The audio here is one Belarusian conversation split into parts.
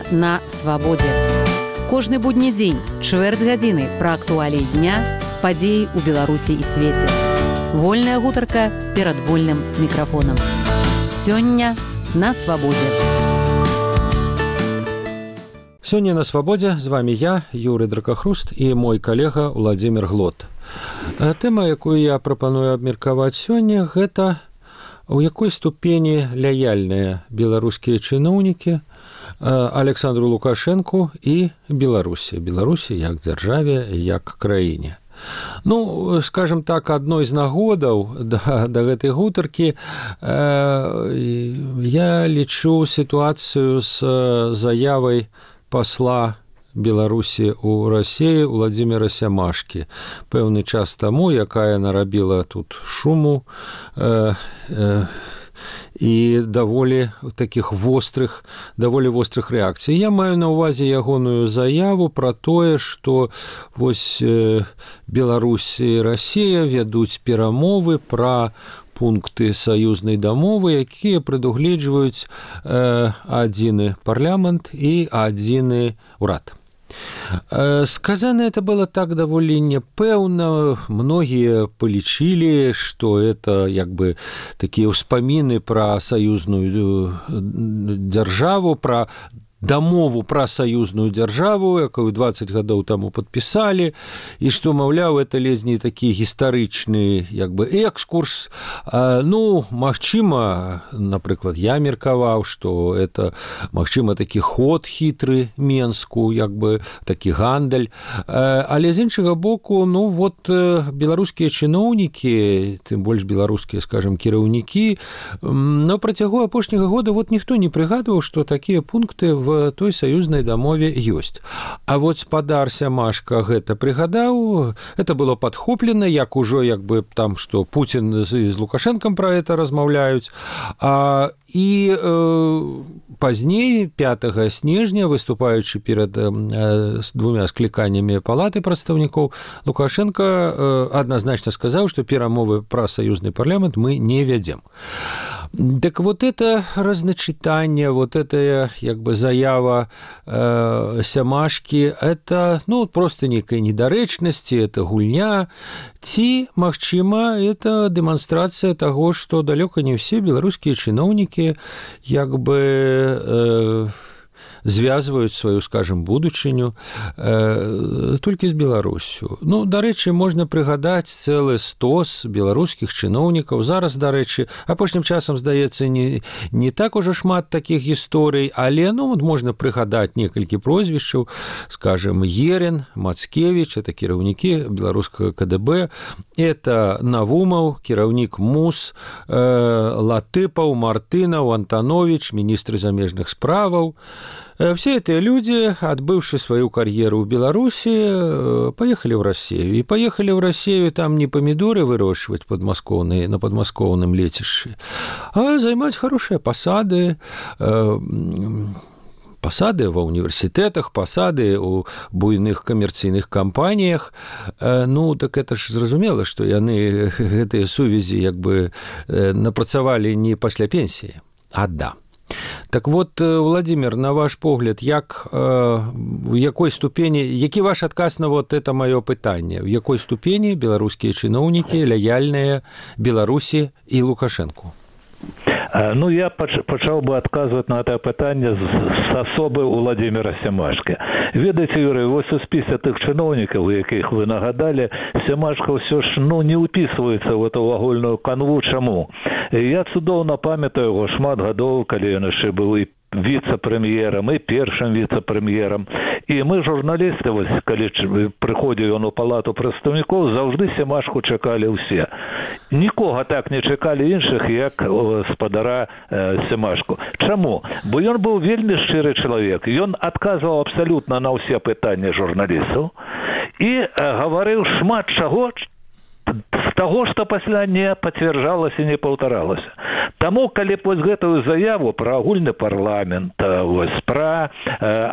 Сёння на свабодзе. Кожны будні дзень, чвэрць гадзіны пра актуаліі дня, падзеі ў Беларусі і свеце. Вольная гутарка перад вольным мікрафонам. Сёння на свабодзе. Сёння на свабодзе з вами я, Юрый Дракахруст, і мой калега Владзімір Глот. Тэма, якую я прапаную абмеркаваць сёння, гэта у якой ступені лаяльныя беларускія чыноўнікі Александру Лукашэнку і Беларусі. Беларусі як дзяржаве, як краіне. Ну, скажем так, адной з нагодаў да гэтай гутаркі я лічу сітуацыю з заявай пасла Беларусі ў Расіі Владзіміра Сямашкі. Пэўны час таму, якая нарабіла тут шуму і даволі вострых рэакцый. Я маю на ўвазе ягоную заяву пра тое, што вось Беларусь і Расія вядуць перамовы пра пункты саюзнай дамовы, якія прадугледжваюць адзіны парламент і адзіны ўрад. Сказано это было так даволі непэўна. Многія палічылі, што это як бы такія ўспаміны пра саюзную дзяржаву, пра дамову пра саюзную дзяржаву, якую 20 гадоў таму падпісалі, і што, маўляў, это ледзь такі гістарычны як бы экскурс. Ну, магчыма, напрыклад, я меркаваў, што это, магчыма, такі ход хітры Менску, як бы такі гандаль. Але з іншага боку, ну, вот беларускія чыноўнікі, тым больш беларускія, скажем, кіраўнікі, на працягу апошняга года вот ніхто не прыгадваў, што такія пункты в той саюзнай дамове ёсць. А вот спадар Сямашка гэта прыгадаў, это было падхоплена, як ужо як бы там, што Пуцін з Лукашэнкам пра это размаўляюць. І пазней, 5 снежня, выступаючы перад двумя скліканнямі палаты прадстаўнікоў, Лукашенко адназначна сказаў, што перамовы пра саюзны парламент мы не вядзем. Так вот это разначитание, вот это як бы заява Сямашкі, это, ну, просто некая недарэчнасці, это гульня, ці, магчыма, это дэманстрацыя таго, што далёка не ўсе беларускія чыноўнікі як бы звязваюць сваю, скажем, будучыню толькі з Беларусю. Ну, дарэчы, можна прыгадаць цэлы стос беларускіх чыноўнікаў. Зараз, дарэчы, апошнім часам, здаецца, не так ужо шмат такіх гісторый, але, ну, можна прыгадаць некалькі прозвішчаў, скажем, Ерін, Мацкевіч, это кіраўнікі беларускага КДБ, это Навумаў, кіраўнік МУС, Латыпаў, Мартынаў, Антанович, міністры замежных справаў. Все эти люди, отбывшие свою карьеру в Беларуси, поехали в Россию. И поехали в Россию там не помидоры выращивать на подмосковном летище, а занимать хорошие посады, посады ва універсітэтах, посады ў буйных камерцыйных кампаніях. Ну, так это ж зразумела, што яны гэтыя сувязі як бы напрацавалі не пасля пенсіі, а да. Так вот, Владимир, на ваш погляд, в якой ступені, які ваш адказ на вот это маё пытанне, в якой ступені беларускія чыноўнікі лаяльныя Беларусі і Лукашэнку? Ну, я пачаў бы адказваць на это пытанне з асобы Владзіміра Сямашкі. Ведаеце, Юрый, вось у спісе тых чыноўнікаў, якіх вы нагадалі, Сямашка ўсё ж, ну, не ўпісваецца в эту агульную канву. Чаму? Я цудоўна памятаю яго шмат гадоў, калі ён яшчэ быў і віцэ-прэм'ерам, і першым віцэ-прэм'ерам. І мы, журналісты, вось, калі прыходзіў ён у палату прадстаўнікоў, заўжды Сямашку чакалі ўсе. Нікога так не чакалі іншых, як спадара Сямашку. Чаму? Бо ён быў вельмі шчыры чалавек. Ён адказваў абсалютна на ўсе пытанні журналістаў і гаварыў шмат чаго, з з таго, што пасля не пацвярджалася і не паўтаралася. Таму, калі б вось гэтую заяву пра агульны парламент, вось, пра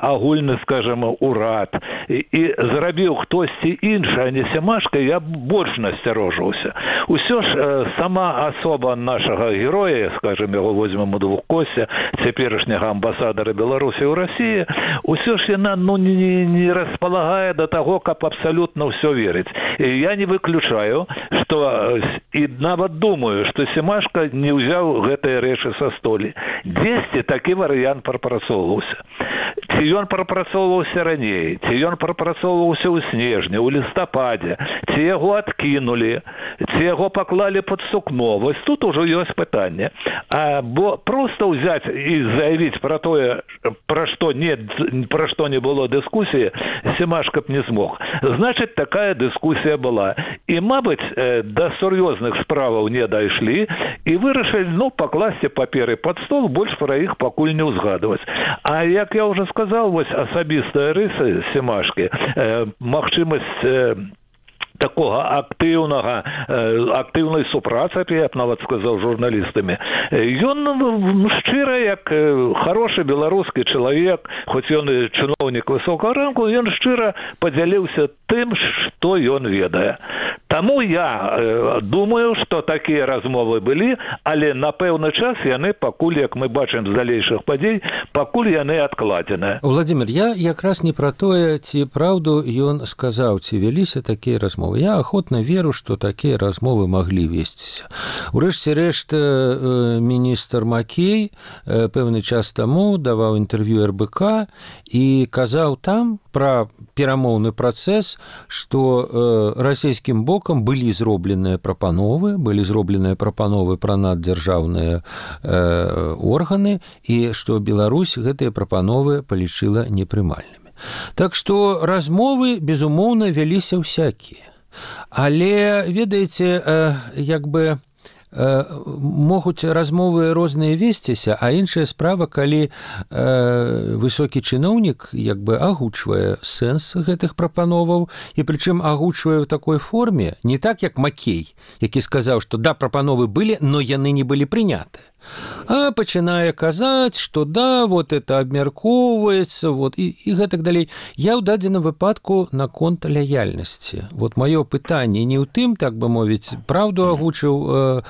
агульны, скажем, урад і зрабіў хтосьці іншы, а не Семашка, я больш насцярожыўся. Усё ж сама асоба нашага героя, скажем, яго возьмем у двухкосці, цяперашняга амбасадара Беларусі ў Расіі, усё ж яна не располагае да таго, каб абсалютна ўсё верыць. І я не выключаю, што і нават думаю, што Семашка не ўзяў гэтыя рэчы са столі. Дзесьці такі варыянт прапрацоўваўся. Ці ён прапрацоўваўся раней, ці ён прапрацоўваўся ў снежні, ў лістападзе, ці яго адкінулі, ці яго паклалі пад сукно. Вось тут ужо ёсць пытанне. Бо проста ўзяць і заявіць пра тое, пра што не было дыскусіі, Семашка б не змог. Значыць, такая дыскусія была. І, мабыць, да сур'ёзных справаў не дайшлі і вырашылі, пакласці паперы пад стол, больш пра іх пакуль не ўзгадваць. А як я ўжо сказал, вось асабістая рыса Семашкі, магчымасць такога актыўнай супрацы, я б нават сказаў, журналістамі. Ён шчыра, як хорошы беларускі чалавек, хоць ён і чыноўнік высокага рангу, ён шчыра падзяліўся тым, што ён ведае. Таму я думаю, што такія размовы былі, але на пэўны час яны пакуль, як мы бачым з далейшых падзей, пакуль яны адкладзеныя. Владимир, я якраз не пра тое, ці праўду ён сказаў, ці вяліся такія размовы. Я охотно веру, што такія размовы маглі весціся. Урэшце рэшт, міністр Макей пэўны час таму даваў інтэрв'ю РБК і казаў там пра перамоўны працэс, што расійскім бокам былі зробленыя прапановы пра наддзяржаўныя органы, і што Беларусь гэтыя прапановы палічыла непрымальнымі. Так што размовы, безумоўна, вяліся ўсякія. Але, ведаеце, могуць размовы розныя весціся, а іншая справа, калі высокі чыноўнік агучвае сэнс гэтых прапановаў, і прычым агучвае ў такой форме, не так, як Макей, які сказаў, што да, прапановы былі, но яны не былі прыняты. А пачынае казаць, што да, вот это абмяркоўваецца, вот, і гэтак далей. Я ў дадзеным выпадку наконт лаяльнасці. Вот маё пытанне не ў тым, так бы мовіць, праўду агучыў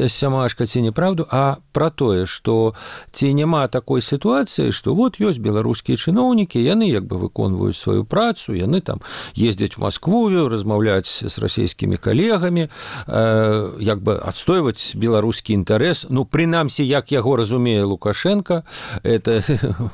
Семашка ці неправду, а пра тое, што ці няма такой сітуацыі, што вот ёсць беларускія чыноўнікі, яны выконваюць сваю працу, яны там ездзяць у Маскву, размаўляць з расійскімі калегамі, адстойваць беларускі інтарэс, прынамсі, як яго разумее Лукашенко, это,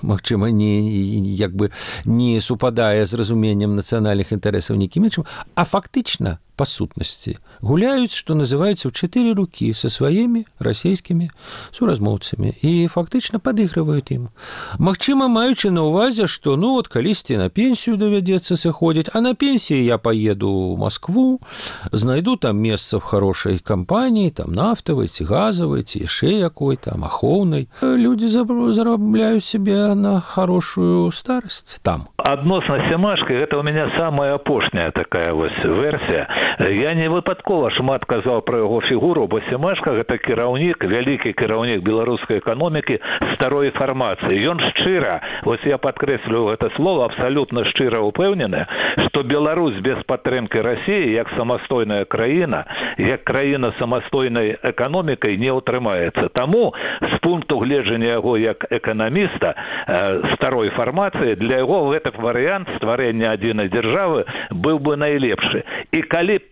магчыма, не супадае з разуменнем нацыянальных інтарэсаў нікім іншым, а фактычна, па сутнасці, гуляюць, што называецца, ў 4 рукі са сваімі расійскімі суразмоўцамі і фактычна падыгрываюць ім. Магчыма, маючы на ўвазе, што калісьці на пенсію давядзецца сыходзіць, а на пенсіі я паеду ў Маскву, знайду там месца в хорошай кампаніі, там нафтавай ці газавай, ці яшчэ якой там ахоўнай. Людзі зарабляюць сябе на хорошую старасць там. Адносна Семашкі, гэта у мяне самая апошняя такая вось версія. Я не выпадкова шмат казаў пра яго фігуру, бо Семашка гэта кіраўнік, вялікі кіраўнік беларускай эканомікі старой фармацыі. Ён шчыра, вось я падкрэслю гэта слово, абсалютна шчыра упэўнены, што Беларусь без падтрымкі Расіі, як самастойная краіна, як краіна самастойнай эканомікай не ўтрымаецца. Таму, з пункту гледжання яго як эканаміста старой фармацыі, для яго гэта варыянт стварэння адзінай дзяржавы быў бы найлепшы. І калі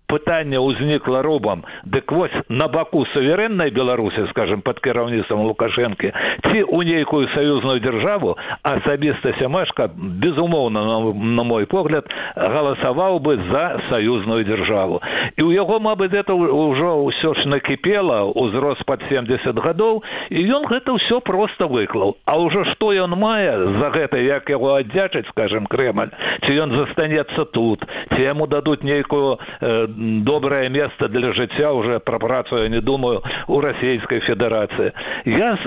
пытанне ўзнікла робам, дык вось на баку суверэннай Беларусі, скажем, пад кіраўніцтвам Лукашэнкі, ці ў нейкую саюзную дзяржаву, асабіста Семашка, безумоўна, на мой погляд, галасаваў бы за саюзную дзяржаву. І ў яго, мабыць, гэта ўжо ўсё ж накіпела, узрос пад 70 гадоў, і ён гэта ўсё проста выклаў. А ўжо што ён мае за гэта, як яго аддзячыць, скажем, Крэмль, ці ён застанецца тут, ці яму дадуць нейкую доброе место для жыцця уже пра працу я не думаю у Расійскай Федэрацыі. Я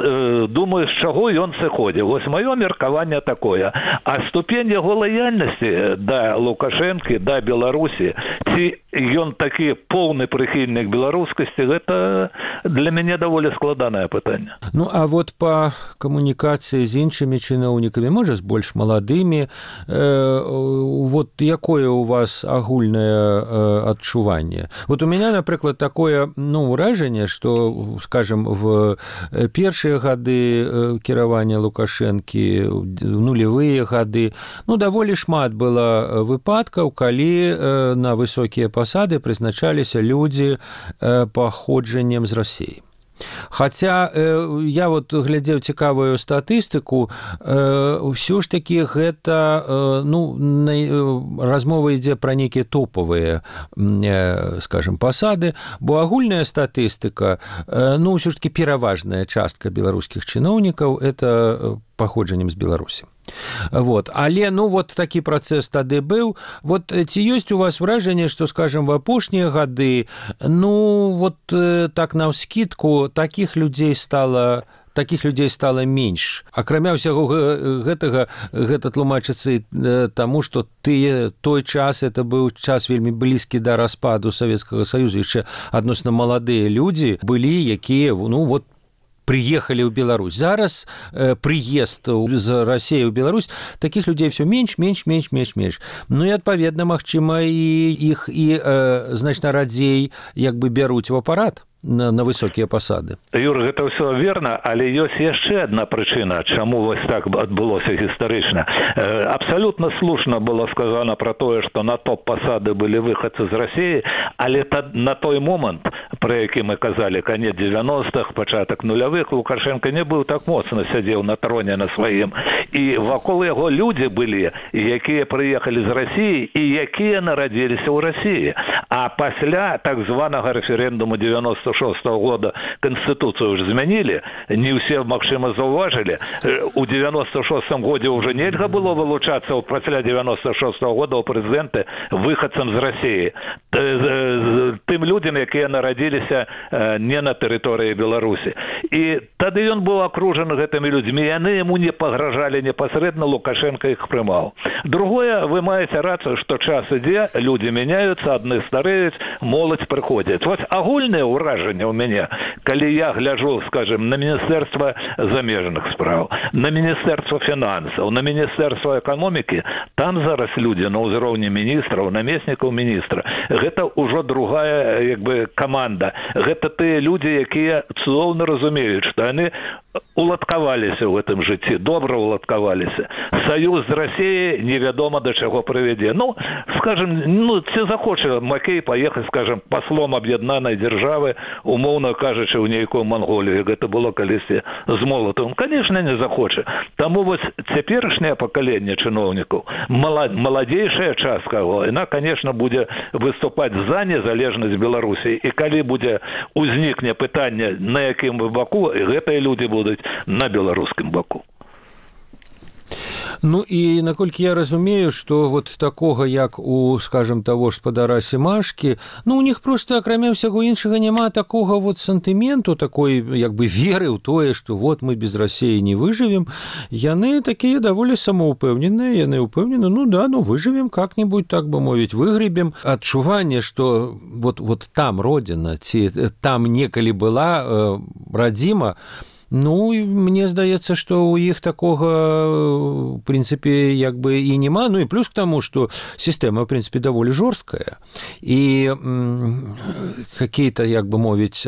думаю, з чаго ён сыходзіў. Вось маё меркаванне такое. А ступень яго лаяльнасці да Лукашэнкі, да Беларусі, ці ён такі поўны прыхільнік беларускасці, гэта для мяне даволі складанае пытанне. Ну, а вот па камунікацыі з іншымі чыноўнікамі, можа, з больш маладымі, вот якое у вас агульнае адчуванне? Вот у меня, напрыклад, такое, ўражанне, што, скажем, в першыя гады кіравання Лукашэнкі, нулевыя гады, даволі шмат было выпадкаў, калі на высокія пасады прызначаліся людзі паходжаннем з Расіі. Хаця я вот глядзеў цікавую статыстыку, ўсё ж такі гэта, размова ідзе пра нейкія топавыя, скажем, пасады, бо агульная статыстыка, ўсё ж такі пераважная частка беларускіх чыноўнікаў это паходжаннем з Беларусі. Вот. Але, вот такі працэс тады быў. Вот ці ёсць у вас ўражанне, што, скажем, в апошнія гады, так наўскідку, такіх людзей стала менш. Акрамя ўсяго гэтага, гэта тлумачыцца таму, што той час, это быў час вельмі блізкі да распаду Савецкага Саюза, яшчэ адносна маладыя людзі былі, якія, приехали ў Беларусь. Зараз прыезд з Расіі ў Беларусь, такіх людзей все менш. І, адпаведна, магчыма, іх значна радзей бяруць у апарат на высокія пасады. Юр, гэта ўсё верна, але ёсць яшчэ адна прычына, чаму вось так адбылося гістарычна. Абсалютна слушна было сказана пра тое, што на топ-пасады былі выхадцы з Расіі, але на той момант, пра які мы казалі, канец 90-х, пачатак нулявых, Лукашенко не быў так моцна сядзеў на троне на сваім. І вакол яго людзі былі, якія прыехалі з Расіі і якія нарадзіліся ў Расіі. А пасля так званага рэферэндуму 96-го года Конституцию уже змянілі, не ўсе, магчыма, заўважылі. У 96-м годзе ўжо нельга было вылучацца пасля 96-го года ў прэзідэнты выхадцам з Расіі. Тым людзям, якія нарадзіліся не на тэрыторыі Беларусі. І тады ён быў акружаны гэтымі людзьмі, яны яму не пагражалі непасрэдна, Лукашенко іх прымаў. Другое, вы маеце рацыю, што час ідзе, людзі мяняюцца, адны стареюць, моладзь прыходзіць. Вось агульнае ўражанне ў мяне, калі я гляджу, скажем, на Міністэрства замежных спраў, на Міністэрства фінансаў, на Міністэрства эканомікі, там зараз людзі на ўзроўні міністраў, намеснікаў міністра. Гэта ўжо другая, каманда. Гэта тыя людзі, якія цудоўна разумеюць, што яны уладкаваліся ў гэтым жыцці, добра уладкаваліся. Саюз з Расіяй невядома да чаго прывядзе. Скажем, ці захоча Макей паехаць, скажем, паслом аб'яднанай дзяржавы, умоўна кажучы, ў нейкую Манголію. Гэта было калісьці з Молатавым. Канешне, не захоча. Таму вось цяперашняе пакаленне чыноўнікаў, маладзейшая частка, яна, канешне, будзе выступаць за незалежнасць Беларусі. І калі будзе узнікне пытанне, на якім баку, гэтыя людзі будуць на беларускім баку. І наколькі я разумею, што вот такога, як у, скажем, таго ж спадара Семашкі, у них просто, акрамя ўсяго іншага, няма такога вот сантыменту, такой, веры ў тое, што вот мы без Расіі не выжывем. Яны такія даволі самаўпэўненыя, яны ўпэўнены, выжывем как-нибудь, так бы мовіць, выгребем. Адчуванне, што вот там родина, ці там некалі была радзіма, мне здаецца, што ў іх такога, в прынцыпе, і няма. І плюс к таму, што сістэма, в прынцыпе, даволі жорсткая. І какие-то, мовіць,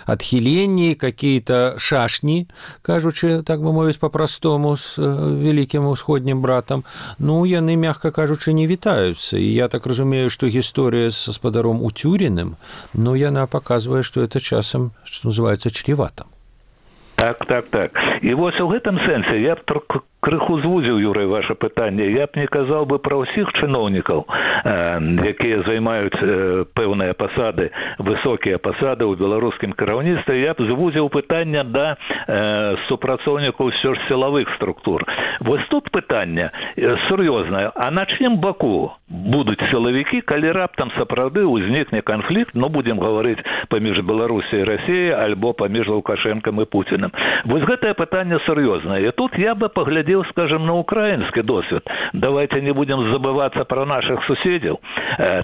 адхіленні, какие-то шашні, кажучы, так бы мовіць, па-простому з вялікім усходнім братам, яны, мягка кажучы, не вітаюцца. І я так разумею, што гісторыя з гаспадаром Уцюріным, яна паказвае, што это часам, што называецца, чревата. Так. І вось у гэтым сэнсе я б крыху звузіў, Юрый, ваше пытанне. Я б не казаў бы пра ўсіх чыноўнікаў, якія займаюць пэўныя пасады, высокія пасады ў беларускім кіраўніцтве. Я б звузіў пытанне да супрацоўнікаў ўсё ж сілавых структур. Вось тут пытанне сур'ёзнае. А на чым баку будуць сілавікі, калі раптам сапраўды ўзнікне канфлікт, ну, будзем гаварыць, паміж Беларусіяй і Расіяй, альбо паміж Лукашэнкам і Пуціным. Вось гэтае пытанне сур'ёзнае. І тут я бы паглядзеў, скажем, на украинский досвід. Давайте не будем забываться про наших суседзяў.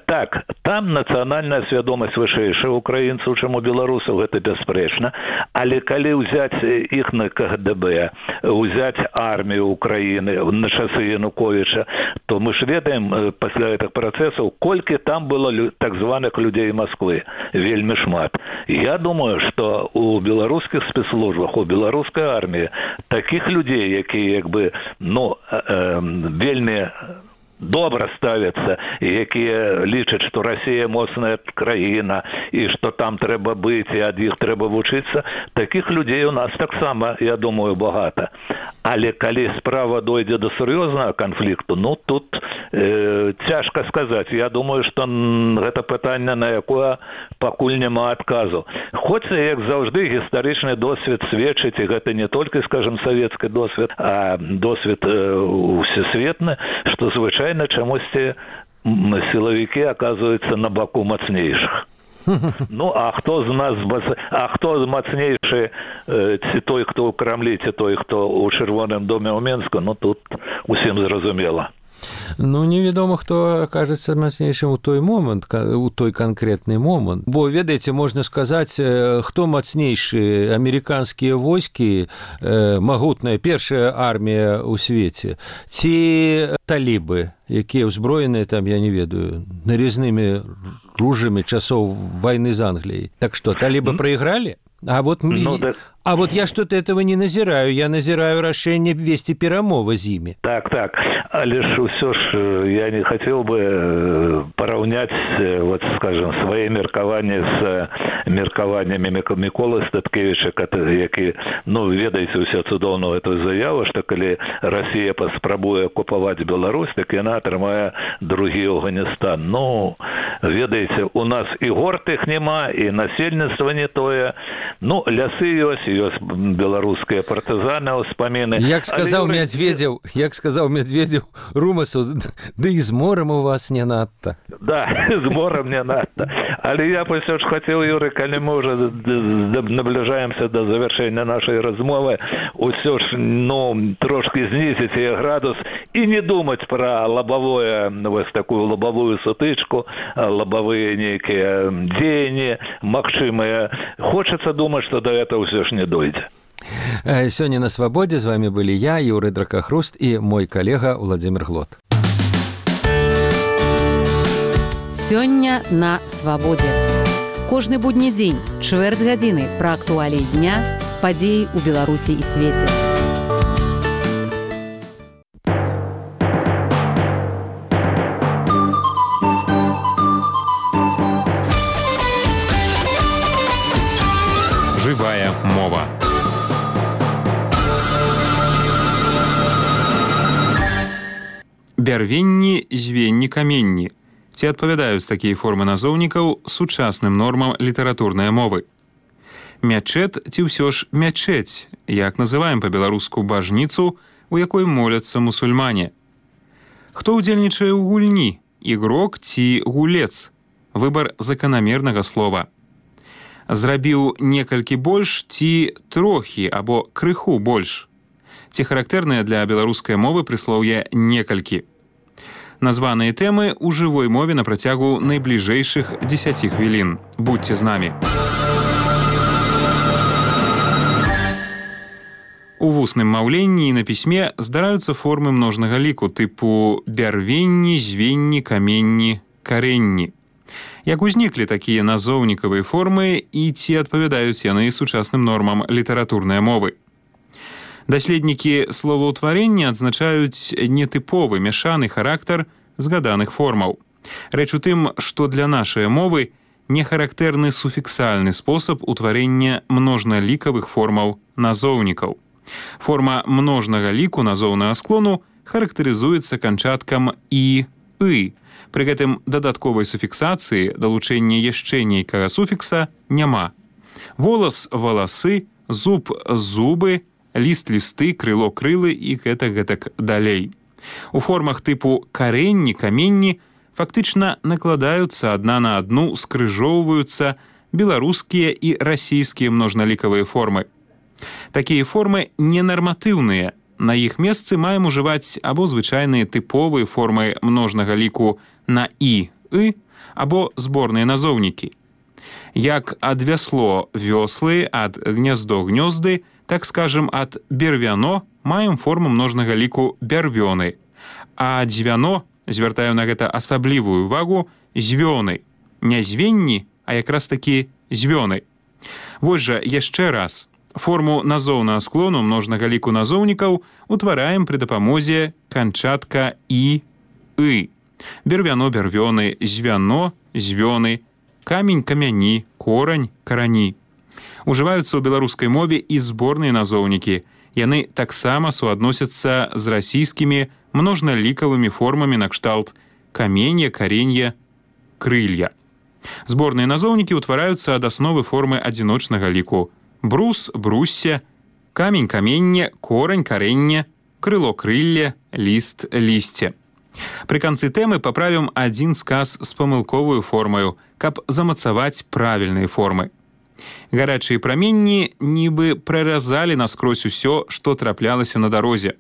Так, там нацыянальная свядомасць вышэйшая украінцаў, чым у беларусаў, гэта бясспрэчна. Але калі ўзяць іх на КГБ, ўзяць армію Украіны на часы Януковіча, то мы ж ведаем пасля гэтых працэсаў, колькі там было так званых людзей Москвы. Вельмі шмат. Я думаю, што у беларускіх спецслужбах, у беларускай арміі такіх людзей, якія як бы вельмі добра ставяцца, якія лічаць, што Расія моцная краіна і што там трэба быць і ад іх трэба вучыцца, такіх людзей у нас таксама, я думаю, багата. Але калі справа дойдзе да сур'ёзнага канфлікту, ну тут цяжка сказаць. Я думаю, што гэта пытанне, на якое пакуль няма адказу. Хоць, як заўжды, гістарычны досвед сведчыць, і гэта не толькі, скажем, савецкі досвед, а досвед усесветны, што звычайна чамусьці сілавікі аказваюцца на баку мацнейшых. Ну, а хто мацнейшы, ці той, хто ў Крамлі, ці той, хто ў Чырвоным доме ў Менску, ну, тут усім зразумела. Ну, невядома, хто акажацца мацнейшым у той момант, у той канкрэтны момант. Бо, ведаеце, можна сказаць, хто мацнейшы, амерыканскія войскі, магутная першая армія ў свеце, ці талібы, якія ўзброеныя там, я не ведаю, нарізнымі ружамі часоў вайны з Англіяй. Так што, талібы прайгралі? А вот я что-то этого не назираю. Я назираю рашэнне весці перамовы з імі. Так. Але ж усё ж я не хотел бы параўняць, вот, скажем, свае меркаванні з меркаваннямі Міколы Статкевіча, які, ну, ведаеце ўсе цудоўную эту заяву, што калі Расія паспрабуе акупаваць Беларусь, так яна атрымае другі Афганістан. Ну, ведаеце, у нас і гор тых няма, і насельніцтва не тое. Ну, лясы ёсць беларускія партызаны, ўспаміны. Як сказаў Медведзеў Румасу, да і з морам у вас не надта. Да, з морам не надта. Але я ўсё ж хацеў, Юрый, калі мы уже набліжаемся до завяршэння нашай размовы, ўсё ж, ну, трошки знізіць градус і не думаць пра лабавое, вось такую лабавую сутычку, лабавыя нейкія дзеянні магчымыя. Хочацца думаць, што да этого ўсё ж не дойдзе. Сёння на свабодзе з вами былі я, Юрый Дракахруст, і мой калега Владзімір Глот. Сёння на свабодзе. Кожны будні дзень, чвэрць гадзіны пра актуаліі дня, падзеі ў Беларусі і свеце. Жывая мова. Бярвенні, звенні, каменні. Ці адпавядаюць такія формы назоўнікаў сучасным нормам літаратурнай мовы? Мячэт ці ўсё ж мячэць, як называем па-беларуску бажніцу, у якой моляцца мусульмане? Хто ўдзельнічае ў гульні? Ігрок ці гулец? Выбар заканамернага слова. Зрабіў некалькі больш ці трохі або крыху больш? Ці характэрныя для беларускай мовы прыслоўе некалькі? Названыя тэмы ў жывой мове на працягу найбліжэйшых 10 хвілін. Будьце з намі. У вусным маўленні і на пісьме здараюцца формы множнага ліку тыпу бярвенні, звенні, каменні, карэнні. Як узніклі такія назоўнікавыя формы і ці адпавядаюць яны сучасным нормам літаратурнай мовы? Даследнікі словаўтварення адзначаюць нетыповы мяшаны характар згаданых формаў. Рэч у тым, што для нашай мовы нехарактэрны суфіксальны спосаб утварэння множналікавых формаў назоўнікаў. Форма множнага ліку назоўнага склону характарызуецца канчаткам «і», «ы». Пры гэтым дадатковай суфіксацыі далучэння яшчэ нейкага суфікса няма. Волас – валасы, зуб – зубы, ліст – лісты, крыло – крылы і гэтак далей. У формах тыпу карэнні, каменні фактычна накладаюцца адна на адну, скрыжоўваюцца беларускія і расійскія множналікавыя формы. Такія формы ненарматыўныя. На іх месцы маем ужываць або звычайныя тыповыя формы множнага ліку на «і», «ы», або зборныя назоўнікі. Як ад вясло – вёслы, ад гняздо – гнёзды, так скажем, ад бервяно маем форму множнага ліку бярвёны, а дзвяно, звяртаю на гэта асаблівую увагу, звёны. Не звенні, а якраз такі звёны. Вось жа яшчэ раз. Форму назоўнага склону множнага ліку назоўнікаў утвараем пры дапамозе канчатка «і», «ы». Бервяно – бярвёны, звяно – звёны, камень – камяні, корань – карані. Ужываюцца ў беларускай мове і зборныя назоўнікі. Яны таксама суадносяцца з расійскімі множналікавымі формамі накшталт каменья, каренья, крылья. Зборныя назоўнікі ўтвараюцца ад асновы формы адзіночнага ліку. Брус, брусся, камень, каменне, корань, каренне, крыло, крылле, ліст, лісце. Пры канцы тэмы паправім адзін сказ з памылковую формаю, каб замацаваць правільныя формы. Гарачыя праменні нібы праразалі наскрозь усё, што траплялася на дарозе.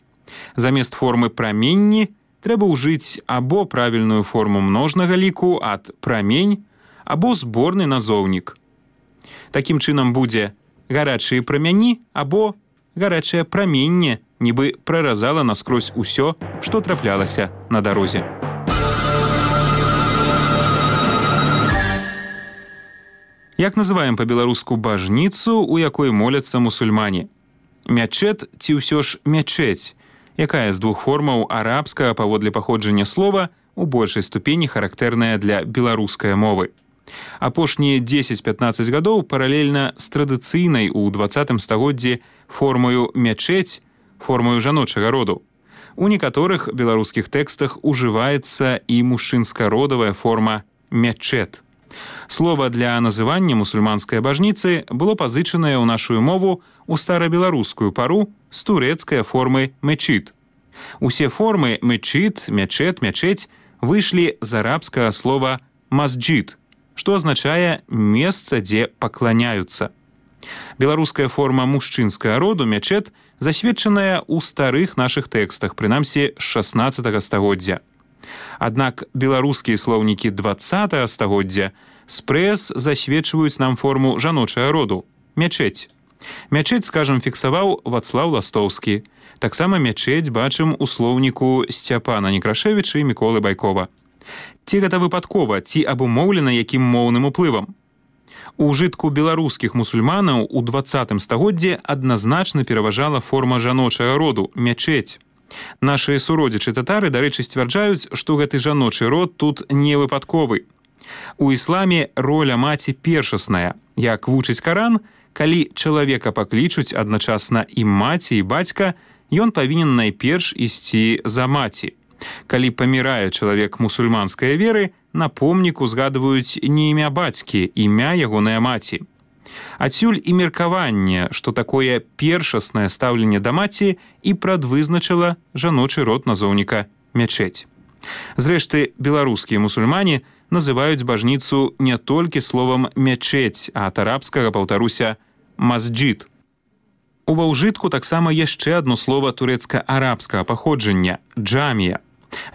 Замест формы праменні трэба ўжыць або правільную форму множнага ліку ад прамень, або зборны назоўнік. Такім чынам будзе гарачыя прамяні або гарачае праменне, нібы праразала наскрозь усё, што траплялася на дарозе. Як называем па-беларуску бажніцу, у якой моляцца мусульмане? Мячэт ці ўсё ж мячэць, якая з двух формаў арабскага паводле паходжання слова у большай ступені характэрная для беларускай мовы. Апошнія 10-15 гадоў паралельна з традыцыйнай у 20 стагоддзі формаю мячэць, формаю жаночага роду. У некаторых беларускіх тэкстах ужываецца і мужчынска-родавая форма мячэт. Слова для называння мусульманскай бажніцы было пазычанае ў нашу мову ў старабеларускую пару з турэцкай формы мечит. Усе формы мечит, мячэт, мячэць выйшлі з арабскага слова масджид, што азначае месца, дзе пакланяюцца. Беларуская форма мужчынскага роду мячэт засведчаная ў старых нашых тэкстах, прынамсі з 16 стагоддзя. Аднак беларускія слоўнікі 20 стагоддзя спрэс засведчваюць нам форму жаночага роду мячэць. Мячэць, скажам, фіксаваў Вацлаў Ластоўскі. Таксама мячэць бачым у слоўніку Сцяпана Некрашевіча і Міколы Байкова. Ці гэта выпадкова, ці абумоўлена якім моўным уплывам? У ўжытку беларускіх мусульманаў у 20 стагоддзі адназначна пераважала форма жаночага роду мячэць. Нашыя суродзічы татары, дарэчы, сцвярджаюць, што гэты жаночы род тут не выпадковы. У ісламе роля маці першасная. Як вучыць Каран, калі чалавека паклічуць адначасна і маці, і бацька, ён павінен найперш ісці за маці. Калі памірае чалавек мусульманскай веры, на помніку згадваюць не імя бацькі, імя ягонай маці. Адсюль і меркаванне, што такое першаснае стаўленне да маці і прадвызначыла жаночы род назоўніка мячэць. Зрэшты, беларускія мусульмане называюць бажніцу не толькі словам мячэць, а ад арабскага, паўтаруся, масджид. Ува ўжытку таксама яшчэ адно слова турэцка-арабскага паходжання – джамія.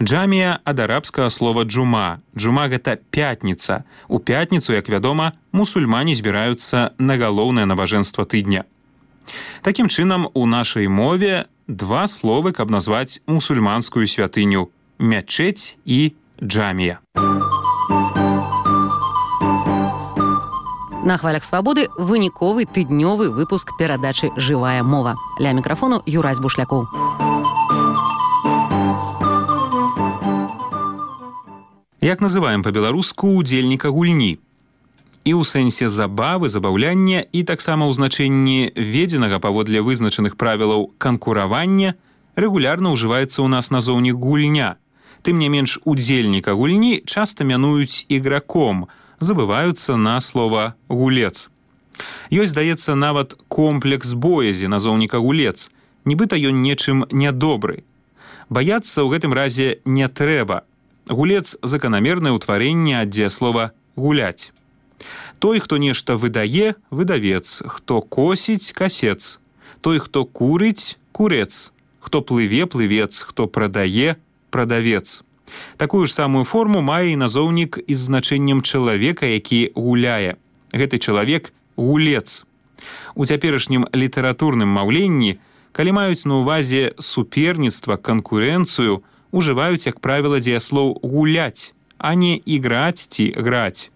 Джамія ад арабскага слова джума. Джума – гэта пятніца. У пятніцу, як вядома, мусульмане збіраюцца на галоўнае набажэнства тыдня. Такім чынам, у нашай мове два словы, каб назваць мусульманскую святыню – мячэць і джамія. На хвалях свабоды выніковы тыднёвы выпуск перадачы «Жывая мова». Ля мікрафону Юрась Бушлякоў. Як называем па-беларуску удзельніка гульні? І ў сэнсе забавы, забаўляння і таксама ў значэнні введзенага паводле вызначаных правілаў канкуравання рэгулярна ўжываецца ў нас назоўнік гульня. Тым не менш, удзельніка гульні часта мянуюць іграком, забываюцца на слова гулец. Ёсць, здаецца, нават комплекс боязі назоўніка гулец, нібыта ён нечым нядобры. Баяцца ў гэтым разе не трэба. Гулец – заканамернае ўтварэнне ад дзеяслова «гуляць». Той, хто нешта выдае – выдавец, хто косіць – касец, той, хто курыць – курец, хто плыве – плывец, хто прадае – прадавец. Такую ж самую форму мае і назоўнік із значэннем чалавека, які гуляе. Гэты чалавек – гулец. У цяперашнім літаратурным маўленні, калі маюць на ўвазе суперніцтва, канкурэнцыю, ужываюць, як правіла, дзеяслоў «гуляць», а не «іграць» ці «граць».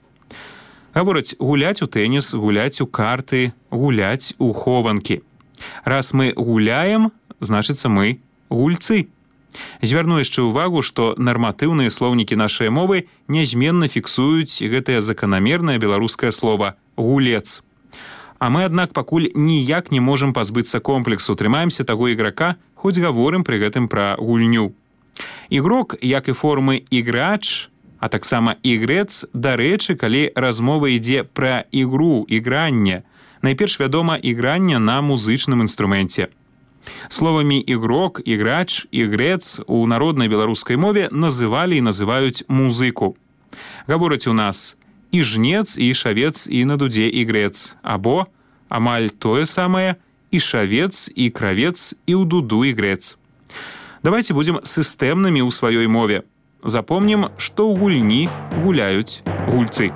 Гавораць гуляць у тэніс, гуляць у карты, гуляць у хованкі. Раз мы гуляем, значыцца мы гульцы. Звярну яшчэ ўвагу, што нарматыўныя слоўнікі нашай мовы нязменна фіксуюць гэтае заканамернае беларускае слова «гулец». А мы, аднак, пакуль ніяк не можам пазбыцца комплексу, трымаемся таго іграка, хоць гаворым пры гэтым пра гульню. Ігрок, як і формы «іграч», а таксама «ігрэц», дарэчы, калі размова ідзе пра ігру, ігранне. Найперш вядома ігранне на музычным інструменце. Словамі «ігрок», «іграч», «ігрэц» у народнай беларускай мове называлі і называюць музыку. Гавораць у нас і жнец, і шавец, і на дудзе ігрэц, або амаль тое самае і шавец, і кравец, і ў дуду ігрэц. Давайте будзем сістэмнымі ў сваёй мове. Запомнім, што ў гульні гуляюць гульцы.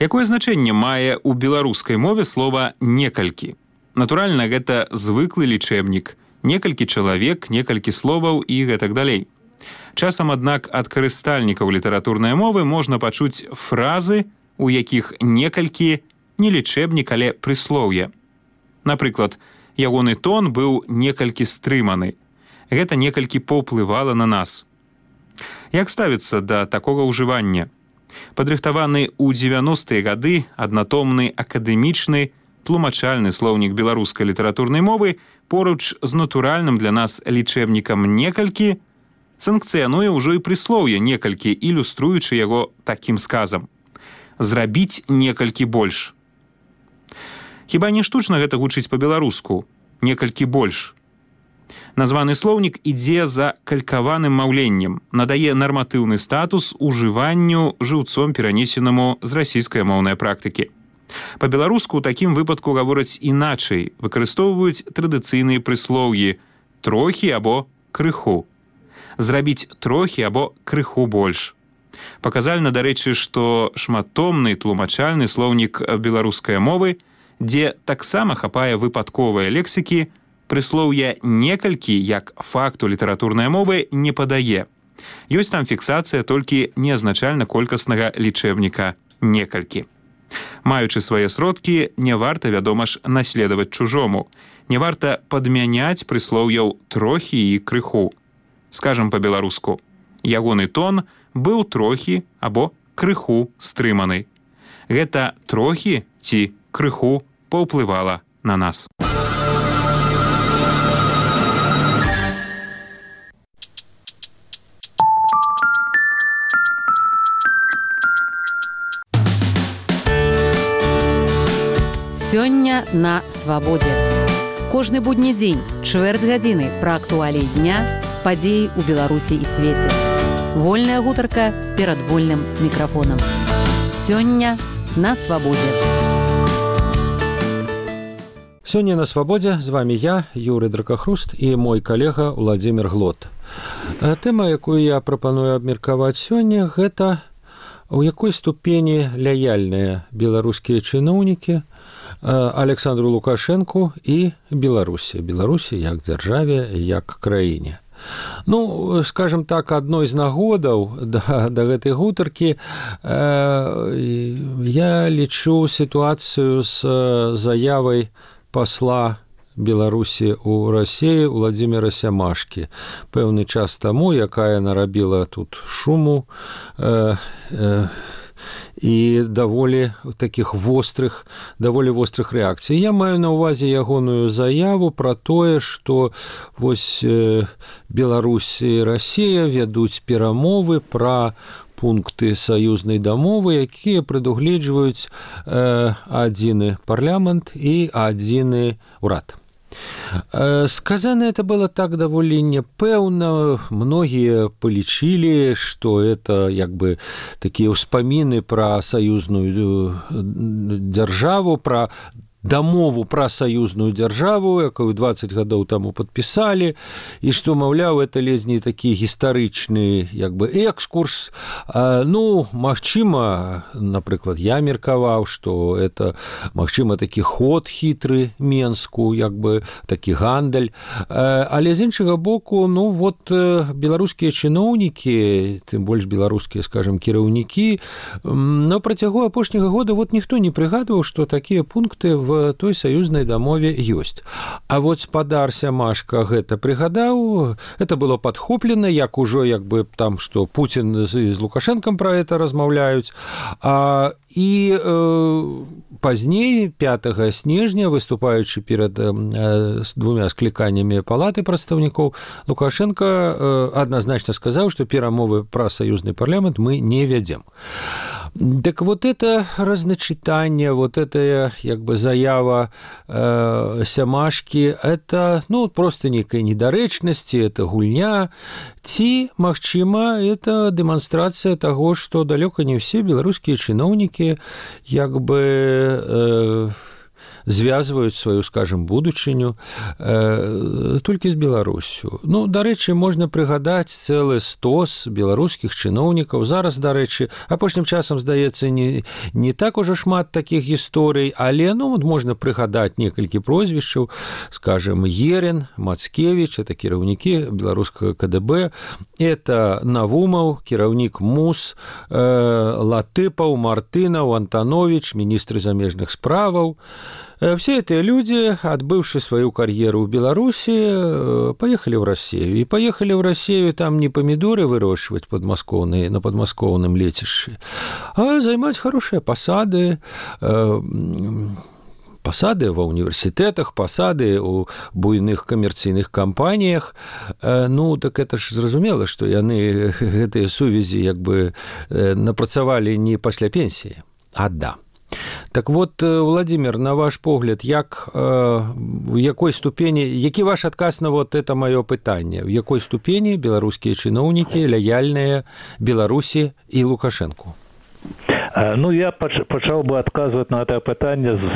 Якое значэнне мае ў беларускай мове слова «некалькі»? Натуральна, гэта звыклы лічэбнік. Некалькі чалавек, некалькі словаў і гэтак далей. Часам, аднак, ад карыстальнікаў літаратурнай мовы можна пачуць фразы, у якіх некалькі не лічэбнік, але прыслоўе. Напрыклад, ягоны тон быў некалькі стрыманы. Гэта некалькі паўплывала на нас. Як ставіцца да такога ўжывання? Падрыхтаваны ў 90-е гады аднатомны акадэмічны тлумачальны слоўнік беларускай літаратурнай мовы поруч з натуральным для нас лічэбнікам некалькі санкцыянуе ўжо і прыслоўе некалькі, ілюструючы яго такім сказам. Зрабіць некалькі больш. Хіба не штучна гэта гучыць па-беларуску? Некалькі больш. Названы слоўнік ідзе за калькаваным маўленнем, надае нарматыўны статус ужыванню жыўцом перанесенаму з расійскай моўнай практыкі. Па-беларуску ў такім выпадку гавораць іначай, выкарыстоўваюць традыцыйныя прыслоўі «трохі» або «крыху». Зрабіць трохі або крыху больш. Паказальна, дарэчы, што шматтомны тлумачальны слоўнік беларускай мовы, дзе таксама хапае выпадковыя лексікі, прыслоўя «некалькі» як факту літаратурнай мовы не падае. Ёсць там фіксацыя толькі неазначальна-колькаснага лічэбніка «некалькі». Маючы свае сродкі, не варта, вядома ж, наследаваць чужому. Не варта падмяняць прыслоўяў «трохі» і «крыху». Скажам па-беларуску, ягоны тон быў трохі або крыху стрыманы. Гэта трохі ці крыху паўплывала на нас. Сёння на свабодзе. Кожны будні дзень, чвэрць гадзіны пра актуаліі дня, падзеі ў Беларусі і свеце. Вольная гутарка перад вольным мікрафонам. Сёння на свабодзе. Сёння на свабодзе з вами я, Юрый Дракахруст, і мой калега Владзімір Глот. Тэма, якую я прапаную абмеркаваць сёння, гэта у якой ступені лаяльныя беларускія чыноўнікі Александру Лукашэнку і Беларусі. Беларусі як дзяржаве, як краіне. Ну, скажем так, адной з нагодаў да гэтай гутаркі я лічу сітуацыю з заявай пасла Беларусі ў Расіі Владзіміра Сямашкі. Пэўны час таму, якая нарабіла тут шуму і даволі вострых рэакцый. Я маю на ўвазе ягоную заяву пра тое, што вось Беларусь і Расія вядуць перамовы пра пункты саюзнай дамовы, якія прадугледжваюць адзіны парламент і адзіны ўрад. Сказано это было так даволі непэўна. Многія палічылі, што это як бы такія ўспаміны пра саюзную дзяржаву, пра дамову пра саюзную дзяржаву, якую 20 гадоў таму падпісалі, і што, маўляў, это ледзь не такі гістарычны як бы экскурс. Магчыма, напрыклад, я меркаваў, што это, магчыма, такі ход хітры Менску, як бы такі гандаль. Але з іншага боку, беларускія чыноўнікі, тым больш беларускія, скажем, кіраўнікі, на працягу апошняга года ніхто не прыгадваў, што такія пункты в той саюзнай дамове ёсць. А вот спадар Сямашка гэта прыгадаў, это было падхоплена, як ужо як бы там, што Пуцін з Лукашэнкам пра это размаўляюць. І пазней, 5 снежня, выступаючы перад двумя скліканнямі палаты прадстаўнікоў, Лукашенко адназначна сказаў, што перамовы пра саюзны парламент мы не вядзем. Так вот это разначитание, вот это як бы заява Сямашкі, это просто некая недарэчнасці, это гульня, ці, магчыма, это дэманстрацыя таго, што далёка не ўсе беларускія чыноўнікі як бы звязваюць сваю, скажем, будучыню толькі з Беларусю. Дарэчы, можна прыгадаць цэлы стос беларускіх чыноўнікаў. Зараз, дарэчы, апошнім часам, здаецца, не так ужо шмат такіх гісторый, але можна прыгадаць некалькі прозвішчаў, скажем, Ерин, Мацкевіч, это кіраўнікі беларускага КДБ, это Навумаў, кіраўнік МУС, Латыпаў, Мартынаў, Антанович, міністры замежных справаў. Все эти люди, отбывшие свою карьеру в Беларуси, поехали в Россию. И поехали в Россию там не помидоры выращивать на подмосковном летище, а занимать хорошие посады, ва універсітэтах, пасады ў буйных камерцыйных кампаніях. Так это ж зразумела, што яны гэтыя сувязі як бы напрацавалі не пасля пенсіі, а да. Так вот, Владимир, на ваш погляд, в якой ступені, які ваш адказ на вот это маё пытанне, в якой ступені беларускія чыноўнікі лаяльныя Беларусі і Лукашэнку? Я пачаў бы адказваць на это пытанне з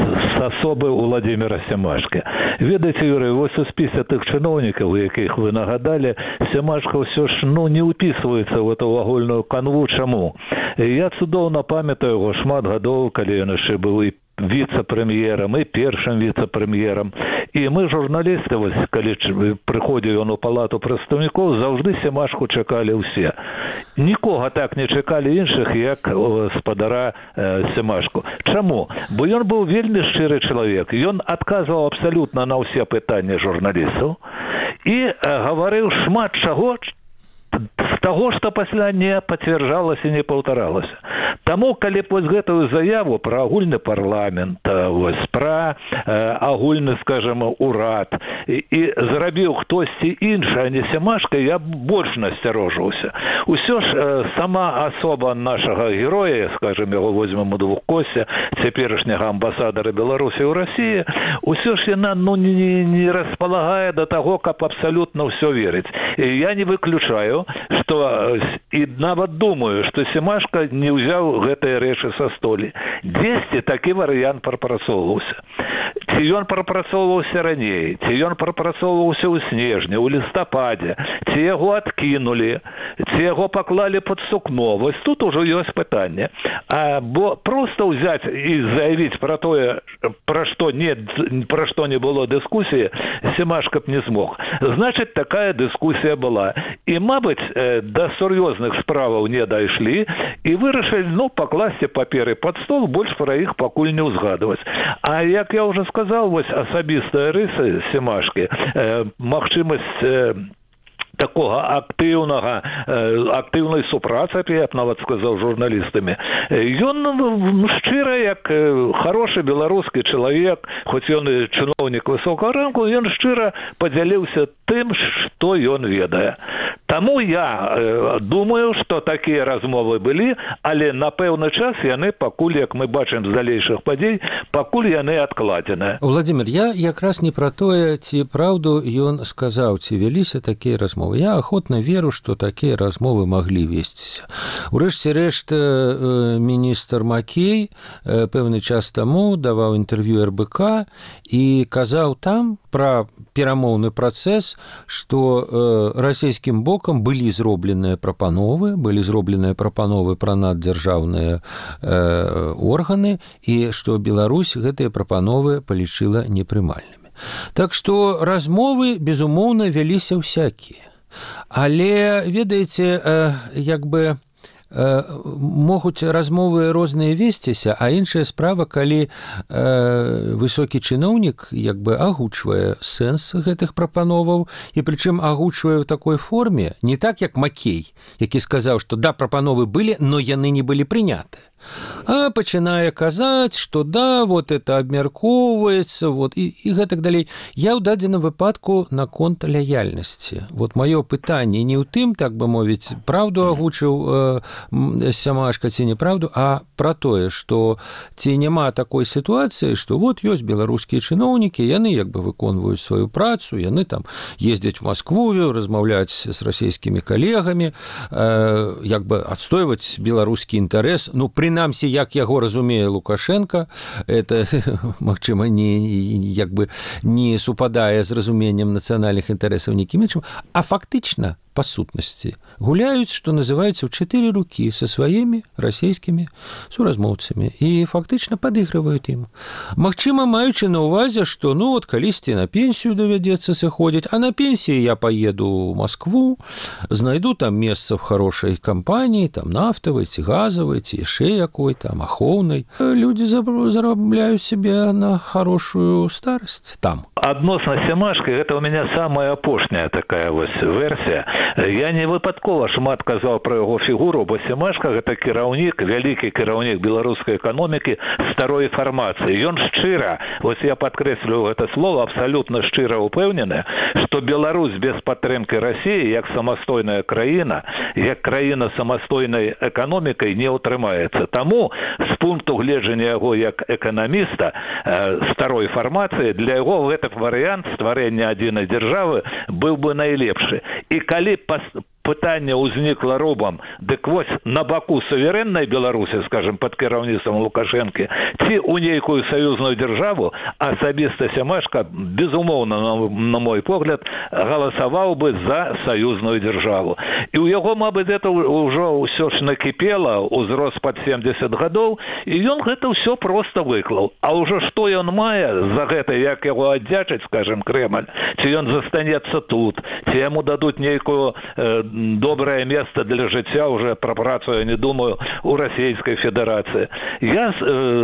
асобы Владзіміра Сямашкі. Ведаеце, Юрый, вось у спісе тых чыноўнікаў, якіх вы нагадалі, Сямашка ўсё ж не ўпісваецца в эту агульную канву. Чаму? Я цудоўна памятаю яго шмат гадоў, калі ён яшчэ быў і віцэ-прэм'ерам, і першым віцэ-прэм'ерам. І мы, журналісты, вось, калі прыходзіў ён у палату прадстаўнікоў, заўжды Сямашку чакалі ўсе. Нікога так не чакалі іншых, як спадара Сямашку. Чаму? Бо ён быў вельмі шчыры чалавек. Ён адказваў абсалютна на ўсе пытанні журналістаў і гаварыў шмат чаго, з таго, што пасля не пацвярджалася і не паўтаралася. Таму, калі вось гэтую заяву пра агульны парламент, вось, пра агульны, скажем, урад і зрабіў хтосьці іншы, а не Сямашка, я больш насцярожыўся. Усё ж сама асоба нашага героя, скажем, яго возьмем у двухкосе, цяперашняга амбасадара Беларусі ў Расіі, усё ж яна не распалагае да таго, каб абсалютна ўсё верыць. І я не выключаю, што і нават думаю, што Сямашка не ўзяў гэтыя рэчы са столі. Дзесьці такі варыянт прапрацоўваўся. Ці ён прапрацоўваўся раней, ці ён прапрацоўваўся ў снежні, ў лістападзе, ці яго адкінулі, ці яго паклалі пад сукно. Вось тут ужо ёсць пытанне. Бо проста ўзяць і заявіць пра тое, пра што не было дыскусіі, Сямашка б не змог. Значыць, такая дыскусія была. І, мабыць, да сур'ёзных справаў не дайшлі і вырашылі, пакласці паперы пад стол, больш пра іх пакуль не ўзгадваць. А як я ўжо уже сказал, вось асабістыя рысы Семашкі, магчымасць такога актыўнай супрацы, я б нават сказаў, журналістамі. Ён шчыра, як хорошы беларускі чалавек, хоць ён і чыноўнік высокага рангу, ён шчыра падзяліўся тым, што ён ведае. Таму я думаю, што такія размовы былі, але на пэўны час яны пакуль, як мы бачым з далейшых падзей, пакуль яны адкладзеныя. Владимир, я якраз не пра тое, ці праўду ён сказаў, ці вяліся такія размовы. Я охотно веру, што такія размовы маглі весціся. Урэшце рэшт, міністр Макей пэўны час таму даваў інтэрв'ю РБК і казаў там пра перамоўны працэс, што расійскім бокам былі зробленыя прапановы пра наддзяржаўныя органы, і што Беларусь гэтыя прапановы палічыла непрымальнымі. Так што размовы, безумоўна, вяліся ўсякія. Але, ведаеце, як бы могуць размовы розныя весціся, а іншая справа, калі высокі чыноўнік як бы агучвае сэнс гэтых прапановаў, і прычым агучвае ў такой форме, не так, як Макей, які сказаў, што да, прапановы былі, но яны не былі прыняты. А пачынае казаць, што да, вот это абмяркоўваецца, вот, і гэтак далей. Я ў дадзеным выпадку наконт лаяльнасці. Вот маё пытанне не ў тым, так бы мовіць, праўду агучыў Семашка ці неправду, а пра тое, што ці няма такой сітуацыі, што вот ёсць беларускія чыноўнікі, яны як бы выконваюць сваю працу, яны там ездзяць у Маскву, размаўляць з расійскімі калегамі, як бы адстойваць беларускі інтарэс, ну, прынамсі, як яго разумее Лукашенко, это, магчыма, як бы не супадае з разуменнем нацыянальных інтарэсаў нікім іншым, а фактычна, па сутнасці, гуляюць, што называецца, ў 4 рукі са сваімі расійскімі суразмоўцамі і фактычна падыгрываюць ім. Магчыма, маючы на ўвазе, што, ну, от калісьці на пенсію давядзецца сыходзіць, а на пенсіі я паеду ў Маскву, знайду там месца в хорошай кампаніі, там нафтавай ці газавай, ці яшчэ якой там ахоўнай. Людзі зарабляюць сябе на хорошую старасць там. Адносна Семашкі, гэта ў мяне самая апошняя такая вось версія. Я не выпадкова шмат казаў пра яго фігуру, бо Семашка гэта кіраўнік, вялікі кіраўнік беларускай эканомікі старой фармацыі. Ён шчыра, вось я падкрэслю гэта слово, абсалютна шчыра ўпэўнены, што Беларусь без падтрымкі Расіі, як самастойная краіна, як краіна самастойнай эканомікай не ўтрымаецца. Таму з пункту гледжання яго як эканаміста старой фармацыі, для яго гэты варыянт стварэння адзінай дзяржавы быў бы найлепшы. І калі пытанне ўзнікла робам, дык вось на баку суверэннай Беларусі, скажем, пад кіраўніцтвам Лукашэнкі, ці ў нейкую саюзную дзяржаву, асабіста Семашка, безумоўна, на мой погляд, галасаваў бы за саюзную дзяржаву. І ў яго, мабыць, гэта ўжо ўсё ж накіпела, узрос пад 70 гадоў, і ён гэта ўсё проста выклаў. А ўжо што ён мае за гэта, як яго аддзячыць, скажем, Крэмль, ці ён застанецца тут, ці яму дадуць нейкую добрае месца для жыцця, уже пра працу я не думаю, у Расійскай Федэрацыі. Я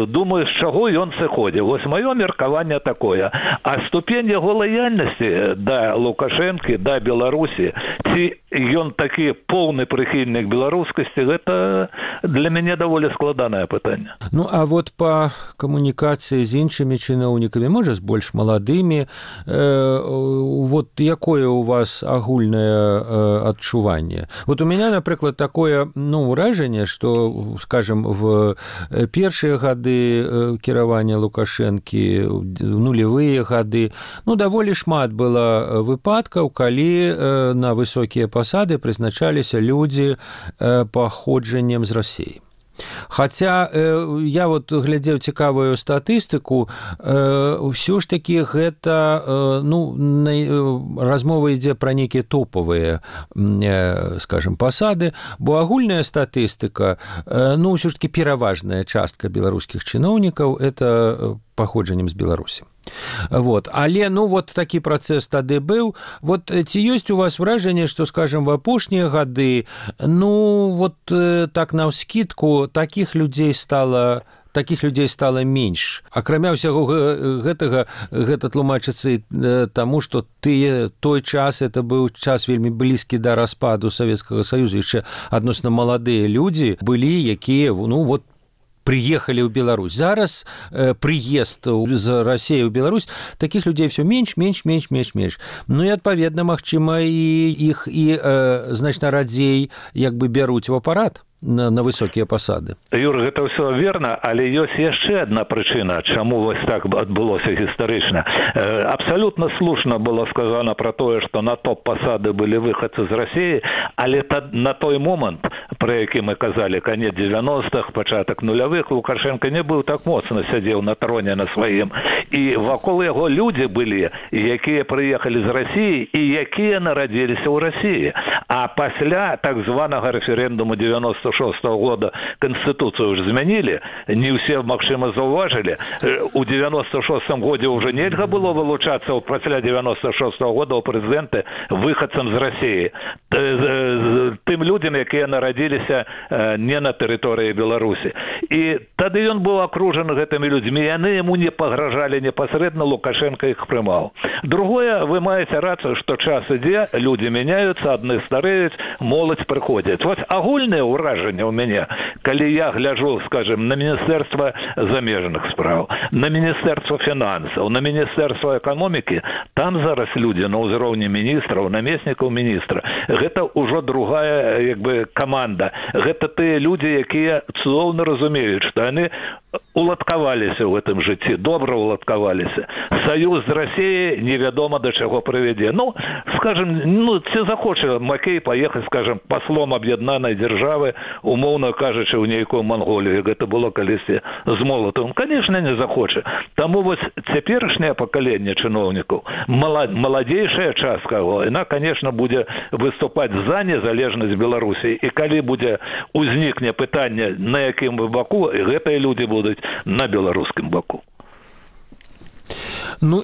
думаю, з чаго ён сыходзіў. Вось маё меркаванне такое. А ступень яго лаяльнасці да Лукашэнкі, да Беларусі, ці ён такі поўны прыхільнік беларускасці, гэта для мяне даволі складанае пытанне. Ну, а вот па камунікацыі з іншымі чыноўнікамі, можа, з больш маладымі, вот якое у вас агульнае адчуванне? Вот у меня, например, такое, ну, ўражанне, что, скажем, в першыя гады кіравання Лукашэнкі, нулевыя гады, ну, даволі шмат было выпадкаў, калі на высокія пасады прызначаліся людзі паходжаннем з Расіі. Хаця я вот глядзеў цікавую статыстыку, ўсё ж такі гэта, ну, размова ідзе пра нейкія топавыя, скажем, пасады, бо агульная статыстыка, ну, ўсё ж такі пераважная частка беларускіх чыноўнікаў это паходжаннем з Беларусі. Вот. Але, ну, вот такі працэс тады быў. Вот ці ёсць у вас ўражанне, што, скажем, в апошнія гады, ну, вот так наўскідку такіх людзей стала такіх людзей стала менш. Акрамя ўсяго гэтага, гэта тлумачыцца таму, што той час, это быў час вельмі блізкі да распаду Савецкага Саюза, яшчэ адносна маладыя людзі былі, якія, приехали ў Беларусь. Зараз прыезд з Расіі ў Беларусь, такіх людзей все менш. Ну і адпаведна, магчыма, і іх значна радзей бяруць у апарат на высокія пасады. Юр, гэта ўсё верна, але ёсць яшчэ адна прычына, чаму вось так адбылося гістарычна. Абсалютна слушна было сказано про тое, што на топ-пасады былі выхадцы з Расіі, але на той момант, про які мы казалі, канец 90-х, пачатак нулявых, Лукашенко не быў так моцна сядзеў на троне на сваім. І вакол яго людзі былі, якія прыехалі з Расіі і якія нарадзіліся ў Расіі. А пасля так званага рэферэндуму 96-го года Конституцию уже змянілі, не ўсе, магчыма, заўважылі. У 96-м годзе уже нельга было вылучацца пасля 96-го года у прэзідэнты выхадцам з Расіі. Тым людзям, якія нарадзіліся не на тэрыторыі Беларусі. І тады ён быў акружаны гэтымі людзьмі, яны яму не пагражалі непасрэдна, Лукашенко іх прымаў. Другое, вы маеце рацыю, што час ідзе, людзі мяняюцца, адны стареюць, моладзь прыходзіць. Вось агульнае ўражанне ў мяне, калі я гляджу, скажем, на Міністэрства замежных спраў, на Міністэрства фінансаў, на Міністэрства эканомікі, там зараз людзі на ўзроўні міністраў, намеснікаў міністра. Гэта ўжо другая, каманда. Гэта тыя людзі, якія цудоўна разумеюць, што яны уладкаваліся ў гэтым жыцці, добра уладкаваліся. Саюз з Расіяй невядома да чаго прывядзе. Скажем, ці захоча Макей паехаць, скажем, паслом аб'яднанай дзяржавы, умоўна кажучы, ў нейкую Манголію, гэта было калісьці з Молатовым. Конечно, не захоча. Таму вось цяперашняе пакаленне чыноўнікаў, маладзейшая частка, яна, конечно, будзе выступаць за незалежнасць Беларусі. І калі будзе узнікне пытанне, на якім баку, гэтыя людзі будуць на беларускім баку.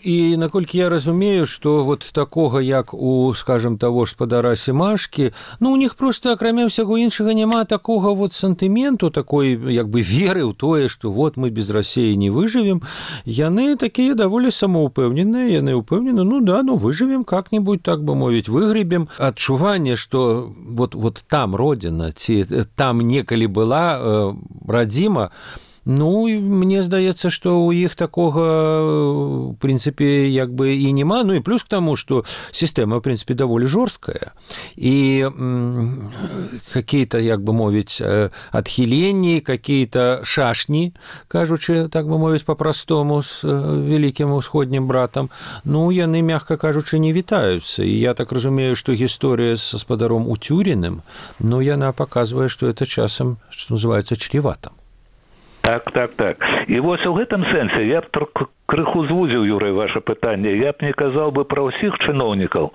І наколькі я разумею, што такога, як у, скажем, таго ж спадара Семашкі, у них просто, акрамя ўсяго іншага, няма такога сантыменту, такой, веры ў тое, што мы без Расіі не выжывем. Яны такія даволі самаўпэўненыя, яны ўпэўнены, выжывем как-нибудь, так бы мовіць, выгребем. Адчуванне, што там родина, ці там некалі была радзіма, мне здаецца, што ў іх такога, в прынцыпе, і няма. І плюс к таму, што сістэма, в прынцыпе, даволі жорсткая. І какие-то, мовіць, адхіленні, какие-то шашні, кажучы, так бы мовіць, по-простому з вялікім усходнім братам, яны, мягка кажучы, не вітаюцца. І я так разумею, што гісторыя з гаспадаром Уцюріным, яна паказвае, што это часам, што называецца, чревата. Так. І вось у гэтым сэнсе я б крыху звузіў, Юрый, ваше пытанне. Я б не казаў бы пра ўсіх чыноўнікаў,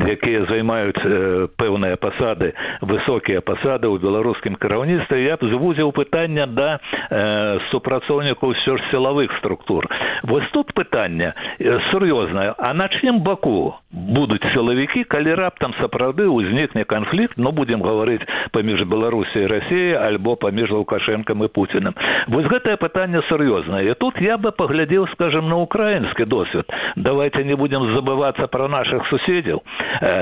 якія займаюць пэўныя пасады, высокія пасады ў беларускім кіраўніцтве. Я б звузіў пытанне да супрацоўнікаў ўсё ж сілавых структур. Вось тут пытанне сур'ёзнае. А на чым баку будуць сілавікі, калі раптам сапраўды ўзнікне канфлікт, будзем гаварыць, паміж Беларусі і Расіяй, альбо паміж Лукашэнкам і Пуцінам. Вось гэтае пытанне сур'ёзнае. І тут я бы паглядзеў, скажем, на украінскі досвед. Давайте не будем забываться про наших суседзяў.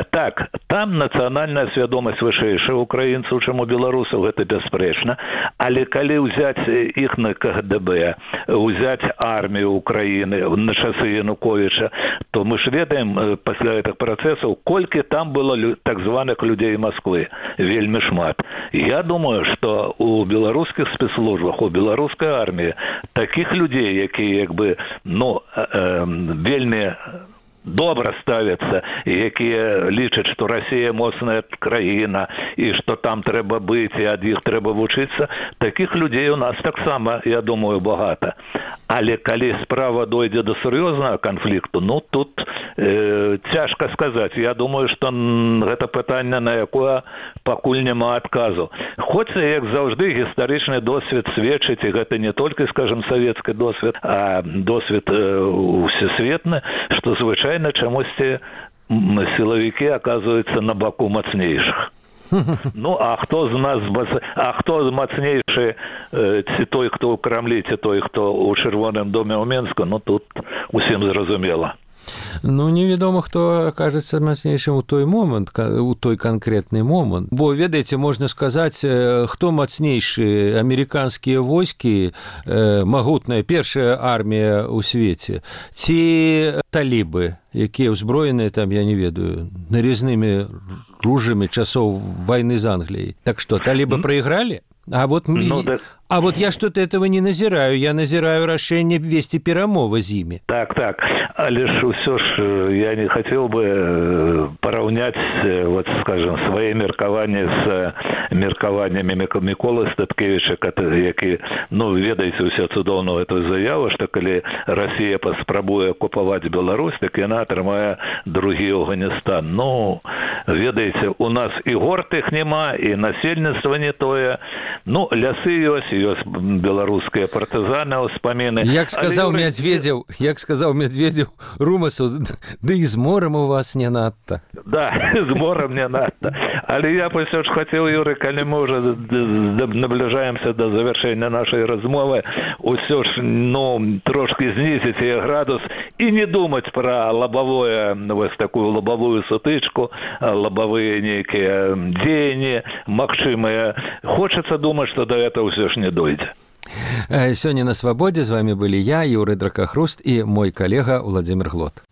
Так, там нацыянальная свядомасць вышэйшая украінцаў, чым у беларусаў, гэта бясспрэчна. Але калі ўзяць іх на КГБ, ўзяць армію Украіны на часы Януковіча, то мы ж ведаем пасля гэтых працэсаў, колькі там было так званых людзей Москвы. Вельмі шмат. Я думаю, што у беларускіх спецслужбах, у беларускай арміі такіх людзей, якія вельмі добра ставяцца, якія лічаць, што Расія моцная краіна і што там трэба быць і ад іх трэба вучыцца, такіх людзей у нас таксама, я думаю, багата. Але калі справа дойдзе до сур'ёзнага канфлікту, тут цяжка сказаць. Я думаю, што гэта пытанне, на якое пакуль няма адказу. Хоць, як заўжды, гістарычны досвед сведчыць, і гэта не толькі, скажем, савецкі досвед, а досвед усесветны, што звычайна чамусьці сілавікі аказваюцца на баку мацнейшых. Ну, а хто мацнейшы, ці той, хто ў Крамлі, ці той, хто ў Чырвоным доме ў Менску, ну, тут усім зразумела. Ну, невядома, хто акажацца мацнейшым у той момант, у той канкрэтны момант. Бо, ведаеце, можна сказаць, хто мацнейшы, амерыканскія войскі, магутная першая армія ў свеце, ці талібы, якія ўзброеныя там, я не ведаю, нарізнымі ружамі часоў вайны з Англіяй. Так што, талібы прайгралі? А вот я что-то этого не назираю. Я назираю решение вести перамовы з імі. Так. Але ж усё ж я не хотел бы пораўняць, вот, скажем, свае меркаванні з меркаваннямі Міколы Статкевіча, які, ну, ведаеце ўсе цудоўную эту заяву, што калі Расія паспрабуе акупаваць Беларусь, так яна атрымае другі Афганістан. Ну, ведаеце, у нас і горд іх няма, і насельніцтва не тое. Ну, лясы ёсць беларускія партызаны, ўспаміны. Як сказаў Медведзеў Румасу, ды і з морам у вас не надта. Да, з морам не надта. Але я ўсё ж хацеў, Юрый, калі мы ўжо набліжаемся да завяршэння нашай размовы, ўсё ж, ну, трошки знізіць яе градус і не думаць пра лабавое, вось такую лабавую сутычку, лабавыя нейкія дзеянні магчымыя. Хочацца думаць, што да этого ўсё ж не дойдзе. Сёння на свабодзе з вами былі я, Юрый Дракахруст, і мой калега Владзімір Глот.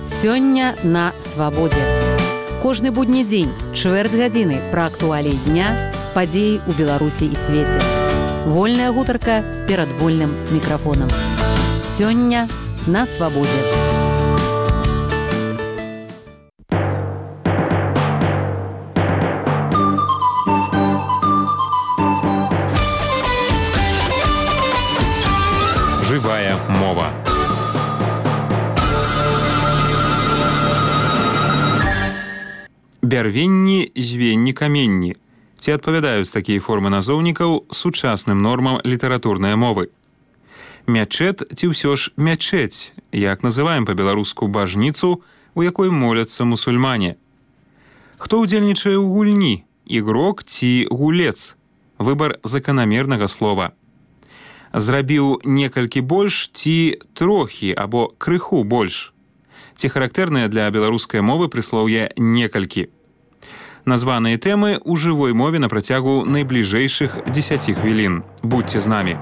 Сёння на свабодзе. Кожны будні дзень, чвэрць гадзіны пра актуаліі дня, падзеі ў Беларусі і свеце. Вольная гутарка перад вольным мікрафонам. Сёння на свабодзе. Жывая мова. Бярвенні, звенні, каменні. Ці адпавядаюць такія формы назоўнікаў сучасным нормам літаратурнай мовы? Мячэт ці ўсё ж мячэць, як называем па-беларуску бажніцу, у якой моляцца мусульмане? Хто ўдзельнічае ў гульні? Ігрок ці гулец? Выбар заканамернага слова. Зрабіў некалькі больш ці трохі або крыху больш. Ці характэрнае для беларускай мовы прыслоўе некалькі. Названыя тэмы ў жывой мове на працягу найбліжэйшых 10 хвілін. Будьце з намі.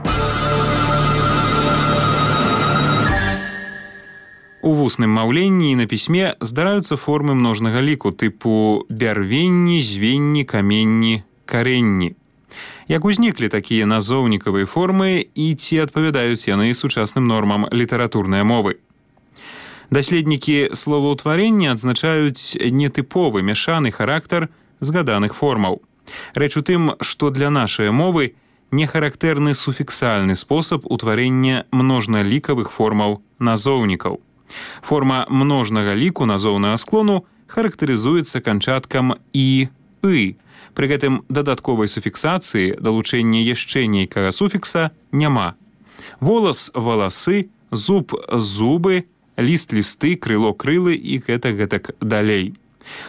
У вусным маўленні і на пісьме здараюцца формы множнага ліку тыпу бярвенні, звенні, каменні, каренні. Як узніклі такія назоўнікавыя формы і ці адпавядаюць яны сучасным нормам літаратурнай мовы? Даследнікі словаўтварення адзначаюць нетыповы мяшаны характар згаданых формаў. Рэч у тым, што для нашай мовы не характэрны суфіксальны спосаб утварэння множналікавых формаў назоўнікаў. Форма множнага ліку назоўнага склону характарызуецца канчаткам «і», «ы». Пры гэтым дадатковай суфіксацыі далучэння яшчэ нейкага суфікса няма. Волас – валасы, зуб – зубы, ліст – лісты, крыло – крылы і гэтак далей.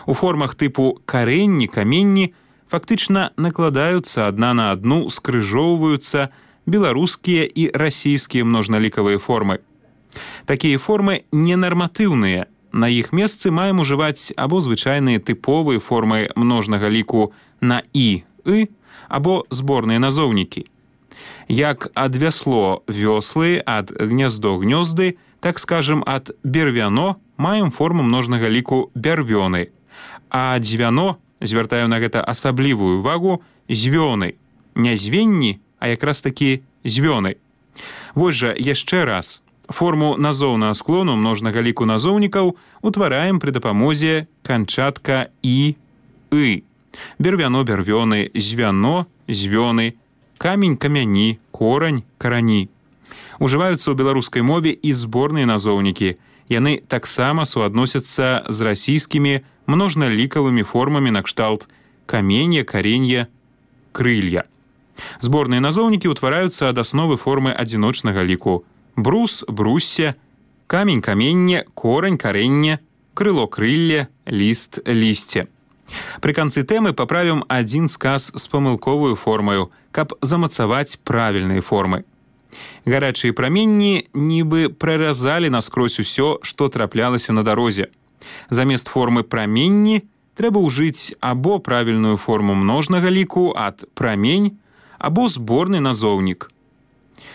У формах тыпу каренні, каменні фактычна накладаюцца адна на адну, скрыжоўваюцца беларускія і расійскія множналікавыя формы. Такія формы ненарматыўныя. На іх месцы маем ужываць або звычайныя тыповыя формы множнага ліку на «і», «ы», або зборныя назоўнікі. Як ад вясло – вёслы, ад гняздо – гнёзды, так скажем, ад бервяно маем форму множнага ліку бярвёны, а дзвяно, звяртаю на гэта асаблівую увагу, звёны. Не звенні, а якраз такі звёны. Вось жа яшчэ раз. Форму назоўнага склону множнага ліку назоўнікаў утвараем пры дапамозе канчатка «і», «ы». Бервяно – бервёны, звяно – звёны, камень – камяні, корань – карані. Ужываюцца ў беларускай мове і зборныя назоўнікі. Яны таксама суадносяцца з расійскімі множналікавымі формамі накшталт каменья, каренья, крылья. Зборныя назоўнікі ўтвараюцца ад асновы формы адзіночнага ліку. Брус, брусся, камень, каменне, корань, каренне, крыло-крылле, ліст-лісце. Пры канцы тэмы паправім адзін сказ з памылковую формаю, каб замацаваць правільныя формы. Гарачыя праменні нібы праразалі наскрозь усё, што траплялася на дарозе. Замест формы праменні трэба ўжыць або правільную форму множнага ліку ад прамень, або зборны назоўнік.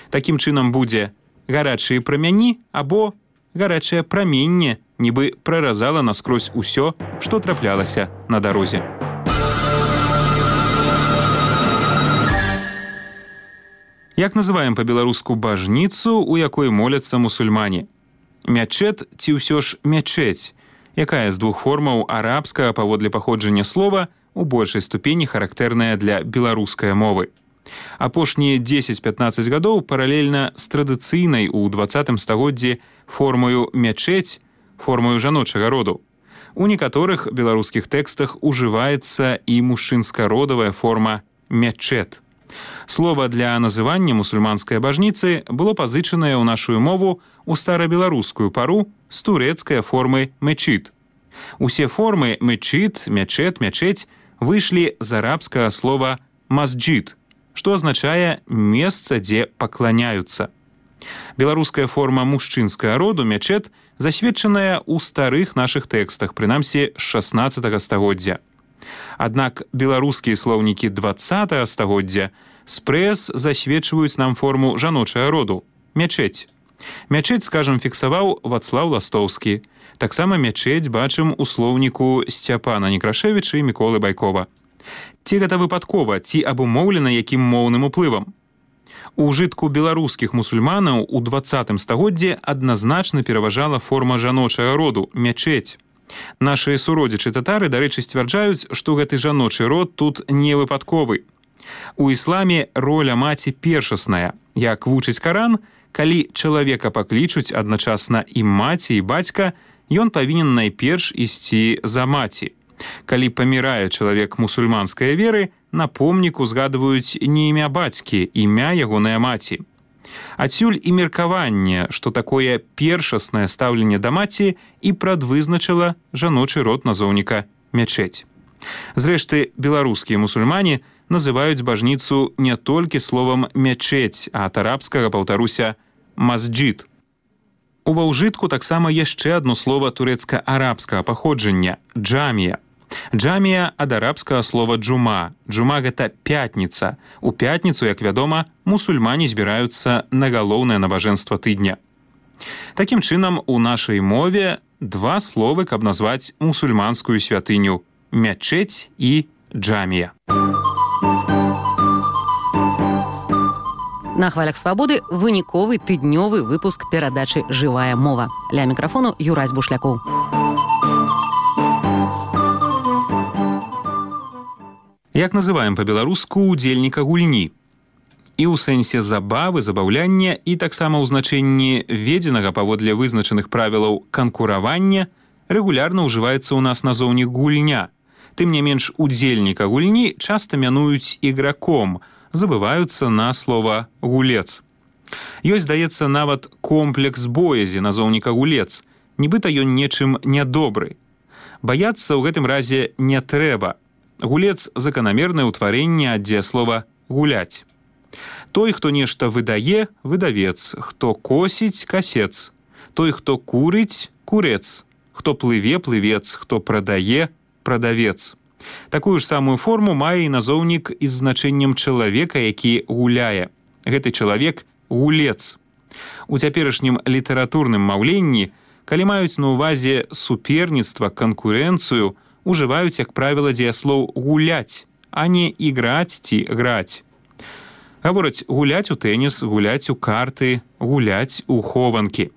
Такім чынам будзе гарачыя прамяні або гарачае праменне, нібы праразала наскрозь усё, што траплялася на дарозе. Як называем па-беларуску бажніцу, у якой моляцца мусульмане? Мячэт ці ўсё ж мячэць, якая з двух формаў арабскага паводле паходжання слова у большай ступені характэрная для беларускай мовы. Апошнія 10-15 гадоў паралельна з традыцыйнай у 20 стагоддзі формою мячэць, формою жаночага роду. У некаторых беларускіх тэкстах ужываецца і мужчынска-родавая форма мячэт. Слова для называння мусульманскай бажніцы было пазычанае ў нашу мову ў старабеларускую пару з турэцкай формы мечит. Усе формы мечит, мячэт, мячэць выйшлі з арабскага слова масджид, што азначае месца, дзе пакланяюцца. Беларуская форма мужчынскага роду мячэт засведчаная ў старых нашых тэкстах, прынамсі з 16 стагоддзя. Аднак беларускія слоўнікі 20 стагоддзя спрэс засведчваюць нам форму жаночага роду мячэць. Мячэць, скажам, фіксаваў Вацлаў Ластоўскі. Таксама мячэць бачым у слоўніку Сцяпана Некрашевіча і Міколы Байкова. Ці гэта выпадкова, ці абумоўлена якім моўным уплывам? У ўжытку беларускіх мусульманаў у 20 стагоддзі адназначна пераважала форма жаночага роду мячэць. Нашыя суродзічы татары, дарэчы, сцвярджаюць, што гэты жаночы род тут не выпадковы. У ісламе роля маці першасная. Як вучыць Каран, калі чалавека паклічуць адначасна і маці, і бацька, ён павінен найперш ісці за маці. Калі памірае чалавек мусульманскай веры, на помніку згадваюць не імя бацькі, імя ягонай маці. Адсюль і меркаванне, што такое першаснае стаўленне да маці і прадвызначыла жаночы род назоўніка мячэць. Зрэшты, беларускія мусульмане называюць бажніцу не толькі словам мячэць, а ад арабскага, паўтаруся, масджид. Ува ўжытку таксама яшчэ адно слова турэцка-арабскага паходжання – джамія. Джамія ад арабскага слова джума. Джума – гэта пятніца. У пятніцу, як вядома, мусульмане збіраюцца на галоўнае набажэнства тыдня. Такім чынам, у нашай мове два словы, каб назваць мусульманскую святыню – мячэць і джамія. На хвалях свабоды выніковы тыднёвы выпуск перадачы «Жывая мова». Ля мікрафону Юрась Бушлякоў. Як называем па-беларуску удзельніка гульні? І ў сэнсе забавы, забаўляння, і таксама ў значэнні введзенага паводле вызначаных правілаў канкуравання рэгулярна ўжываецца ў нас назоўнік гульня. Тым не менш, удзельніка гульні часта мянуюць іграком, забываюцца на слова гулец. Ёсць, здаецца, нават комплекс боязі назоўніка гулец, нібыта ён нечым нядобры. Баяцца ў гэтым разе не трэба. Гулец – заканамернае ўтварэнне ад дзеяслова гуляць. Той, хто нешта выдае – выдавец, хто косіць – касец, той, хто курыць – курец, хто плыве – плывец, хто прадае – прадавец. Такую ж самую форму мае і назоўнік з значэннем чалавека, які гуляе. Гэты чалавек – гулец. У цяперашнім літаратурным маўленні, калі маюць на ўвазе суперніцтва, канкурэнцыю, ужываюць, як правіла, дзеяслоў гуляць, а не іграць ці граць. Гавораць гуляць у тэніс, гуляць у карты, гуляць у хованкі.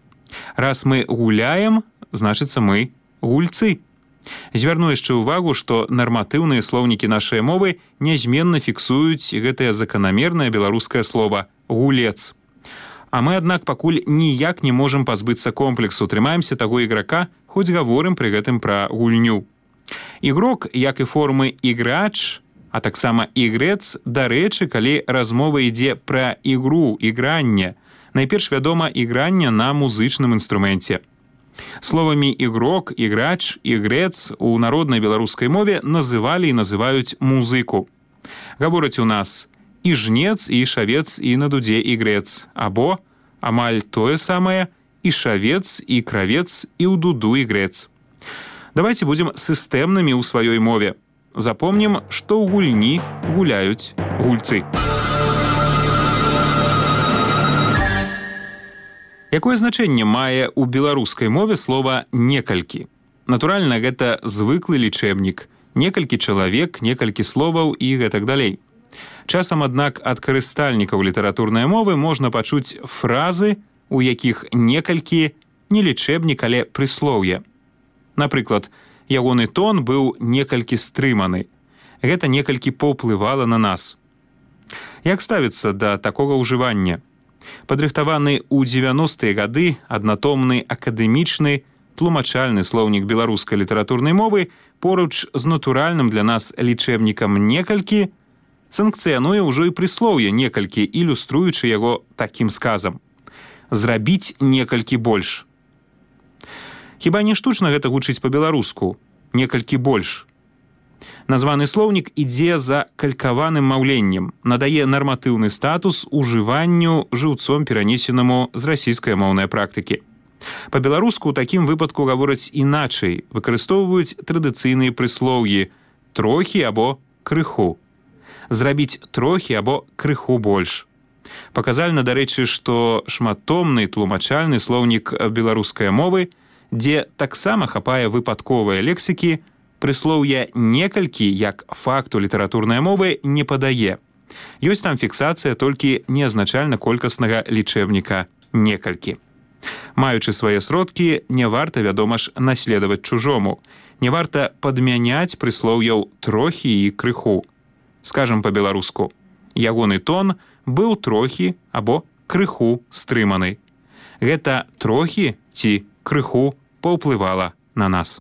Раз мы гуляем, значыцца мы гульцы. Звярну яшчэ ўвагу, што нарматыўныя слоўнікі нашай мовы нязменна фіксуюць гэтае заканамернае беларускае слова «гулец». А мы, аднак, пакуль ніяк не можам пазбыцца комплексу, трымаемся таго іграка, хоць гаворым пры гэтым пра гульню. Ігрок, як і формы іграч, а таксама ігрэц, дарэчы, калі размова ідзе пра ігру, ігранне, найперш, вядома, ігранне на музычным інструменце. Словамі ігрок, іграч, ігрэц у народнай беларускай мове называлі і называюць музыку. Гавораць у нас і жнец, і шавец, і на дудзе ігрэц, або амаль тое самае і шавец, і кравец, і ў дуду ігрэц. Давайте будзем сістэмнымі ў сваёй мове. Запомнім, што ў гульні гуляюць гульцы. Якое значэнне мае ў беларускай мове слова «некалькі»? Натуральна, гэта звыклы лічэбнік. Некалькі чалавек, некалькі словаў і гэтак далей. Часам, аднак, ад карыстальнікаў літаратурнай мовы можна пачуць фразы, у якіх некалькі не лічэбнік, але прыслоўе. Напрыклад, ягоны тон быў некалькі стрыманы. Гэта некалькі паўплывала на нас. Як ставіцца да такога ўжывання? Падрыхтаваны ў 90-е гады аднатомны акадэмічны тлумачальны слоўнік беларускай літаратурнай мовы поруч з натуральным для нас лічэбнікам некалькі санкцыянуе ўжо і прыслоўе некалькі, ілюструючы яго такім сказам. Зрабіць некалькі больш. Хіба не штучна гэта гучыць па-беларуску? Некалькі больш. Названы слоўнік ідзе за калькаваным маўленнем, надае нарматыўны статус ужыванню жыўцом перанесенаму з расійскай-моўнай практыкі. Па-беларуску ў такім выпадку гавораць іначай, выкарыстоўваюць традыцыйныя прыслоўі «трохі» або «крыху». Зрабіць трохі або крыху больш. Паказальна, дарэчы, што шматтомны тлумачальны слоўнік беларускай мовы, дзе таксама хапае выпадковыя лексікі, прыслоўя «некалькі» як факту літаратурнай мовы не падае. Ёсць там фіксацыя толькі неазначальна-колькаснага лічэбніка «некалькі». Маючы свае сродкі, не варта, вядома ж, наследаваць чужому. Не варта падмяняць прыслоўяў «трохі» і «крыху». Скажам па-беларуску, ягоны тон быў трохі або крыху стрыманы. Гэта трохі ці крыху паўплывала на нас.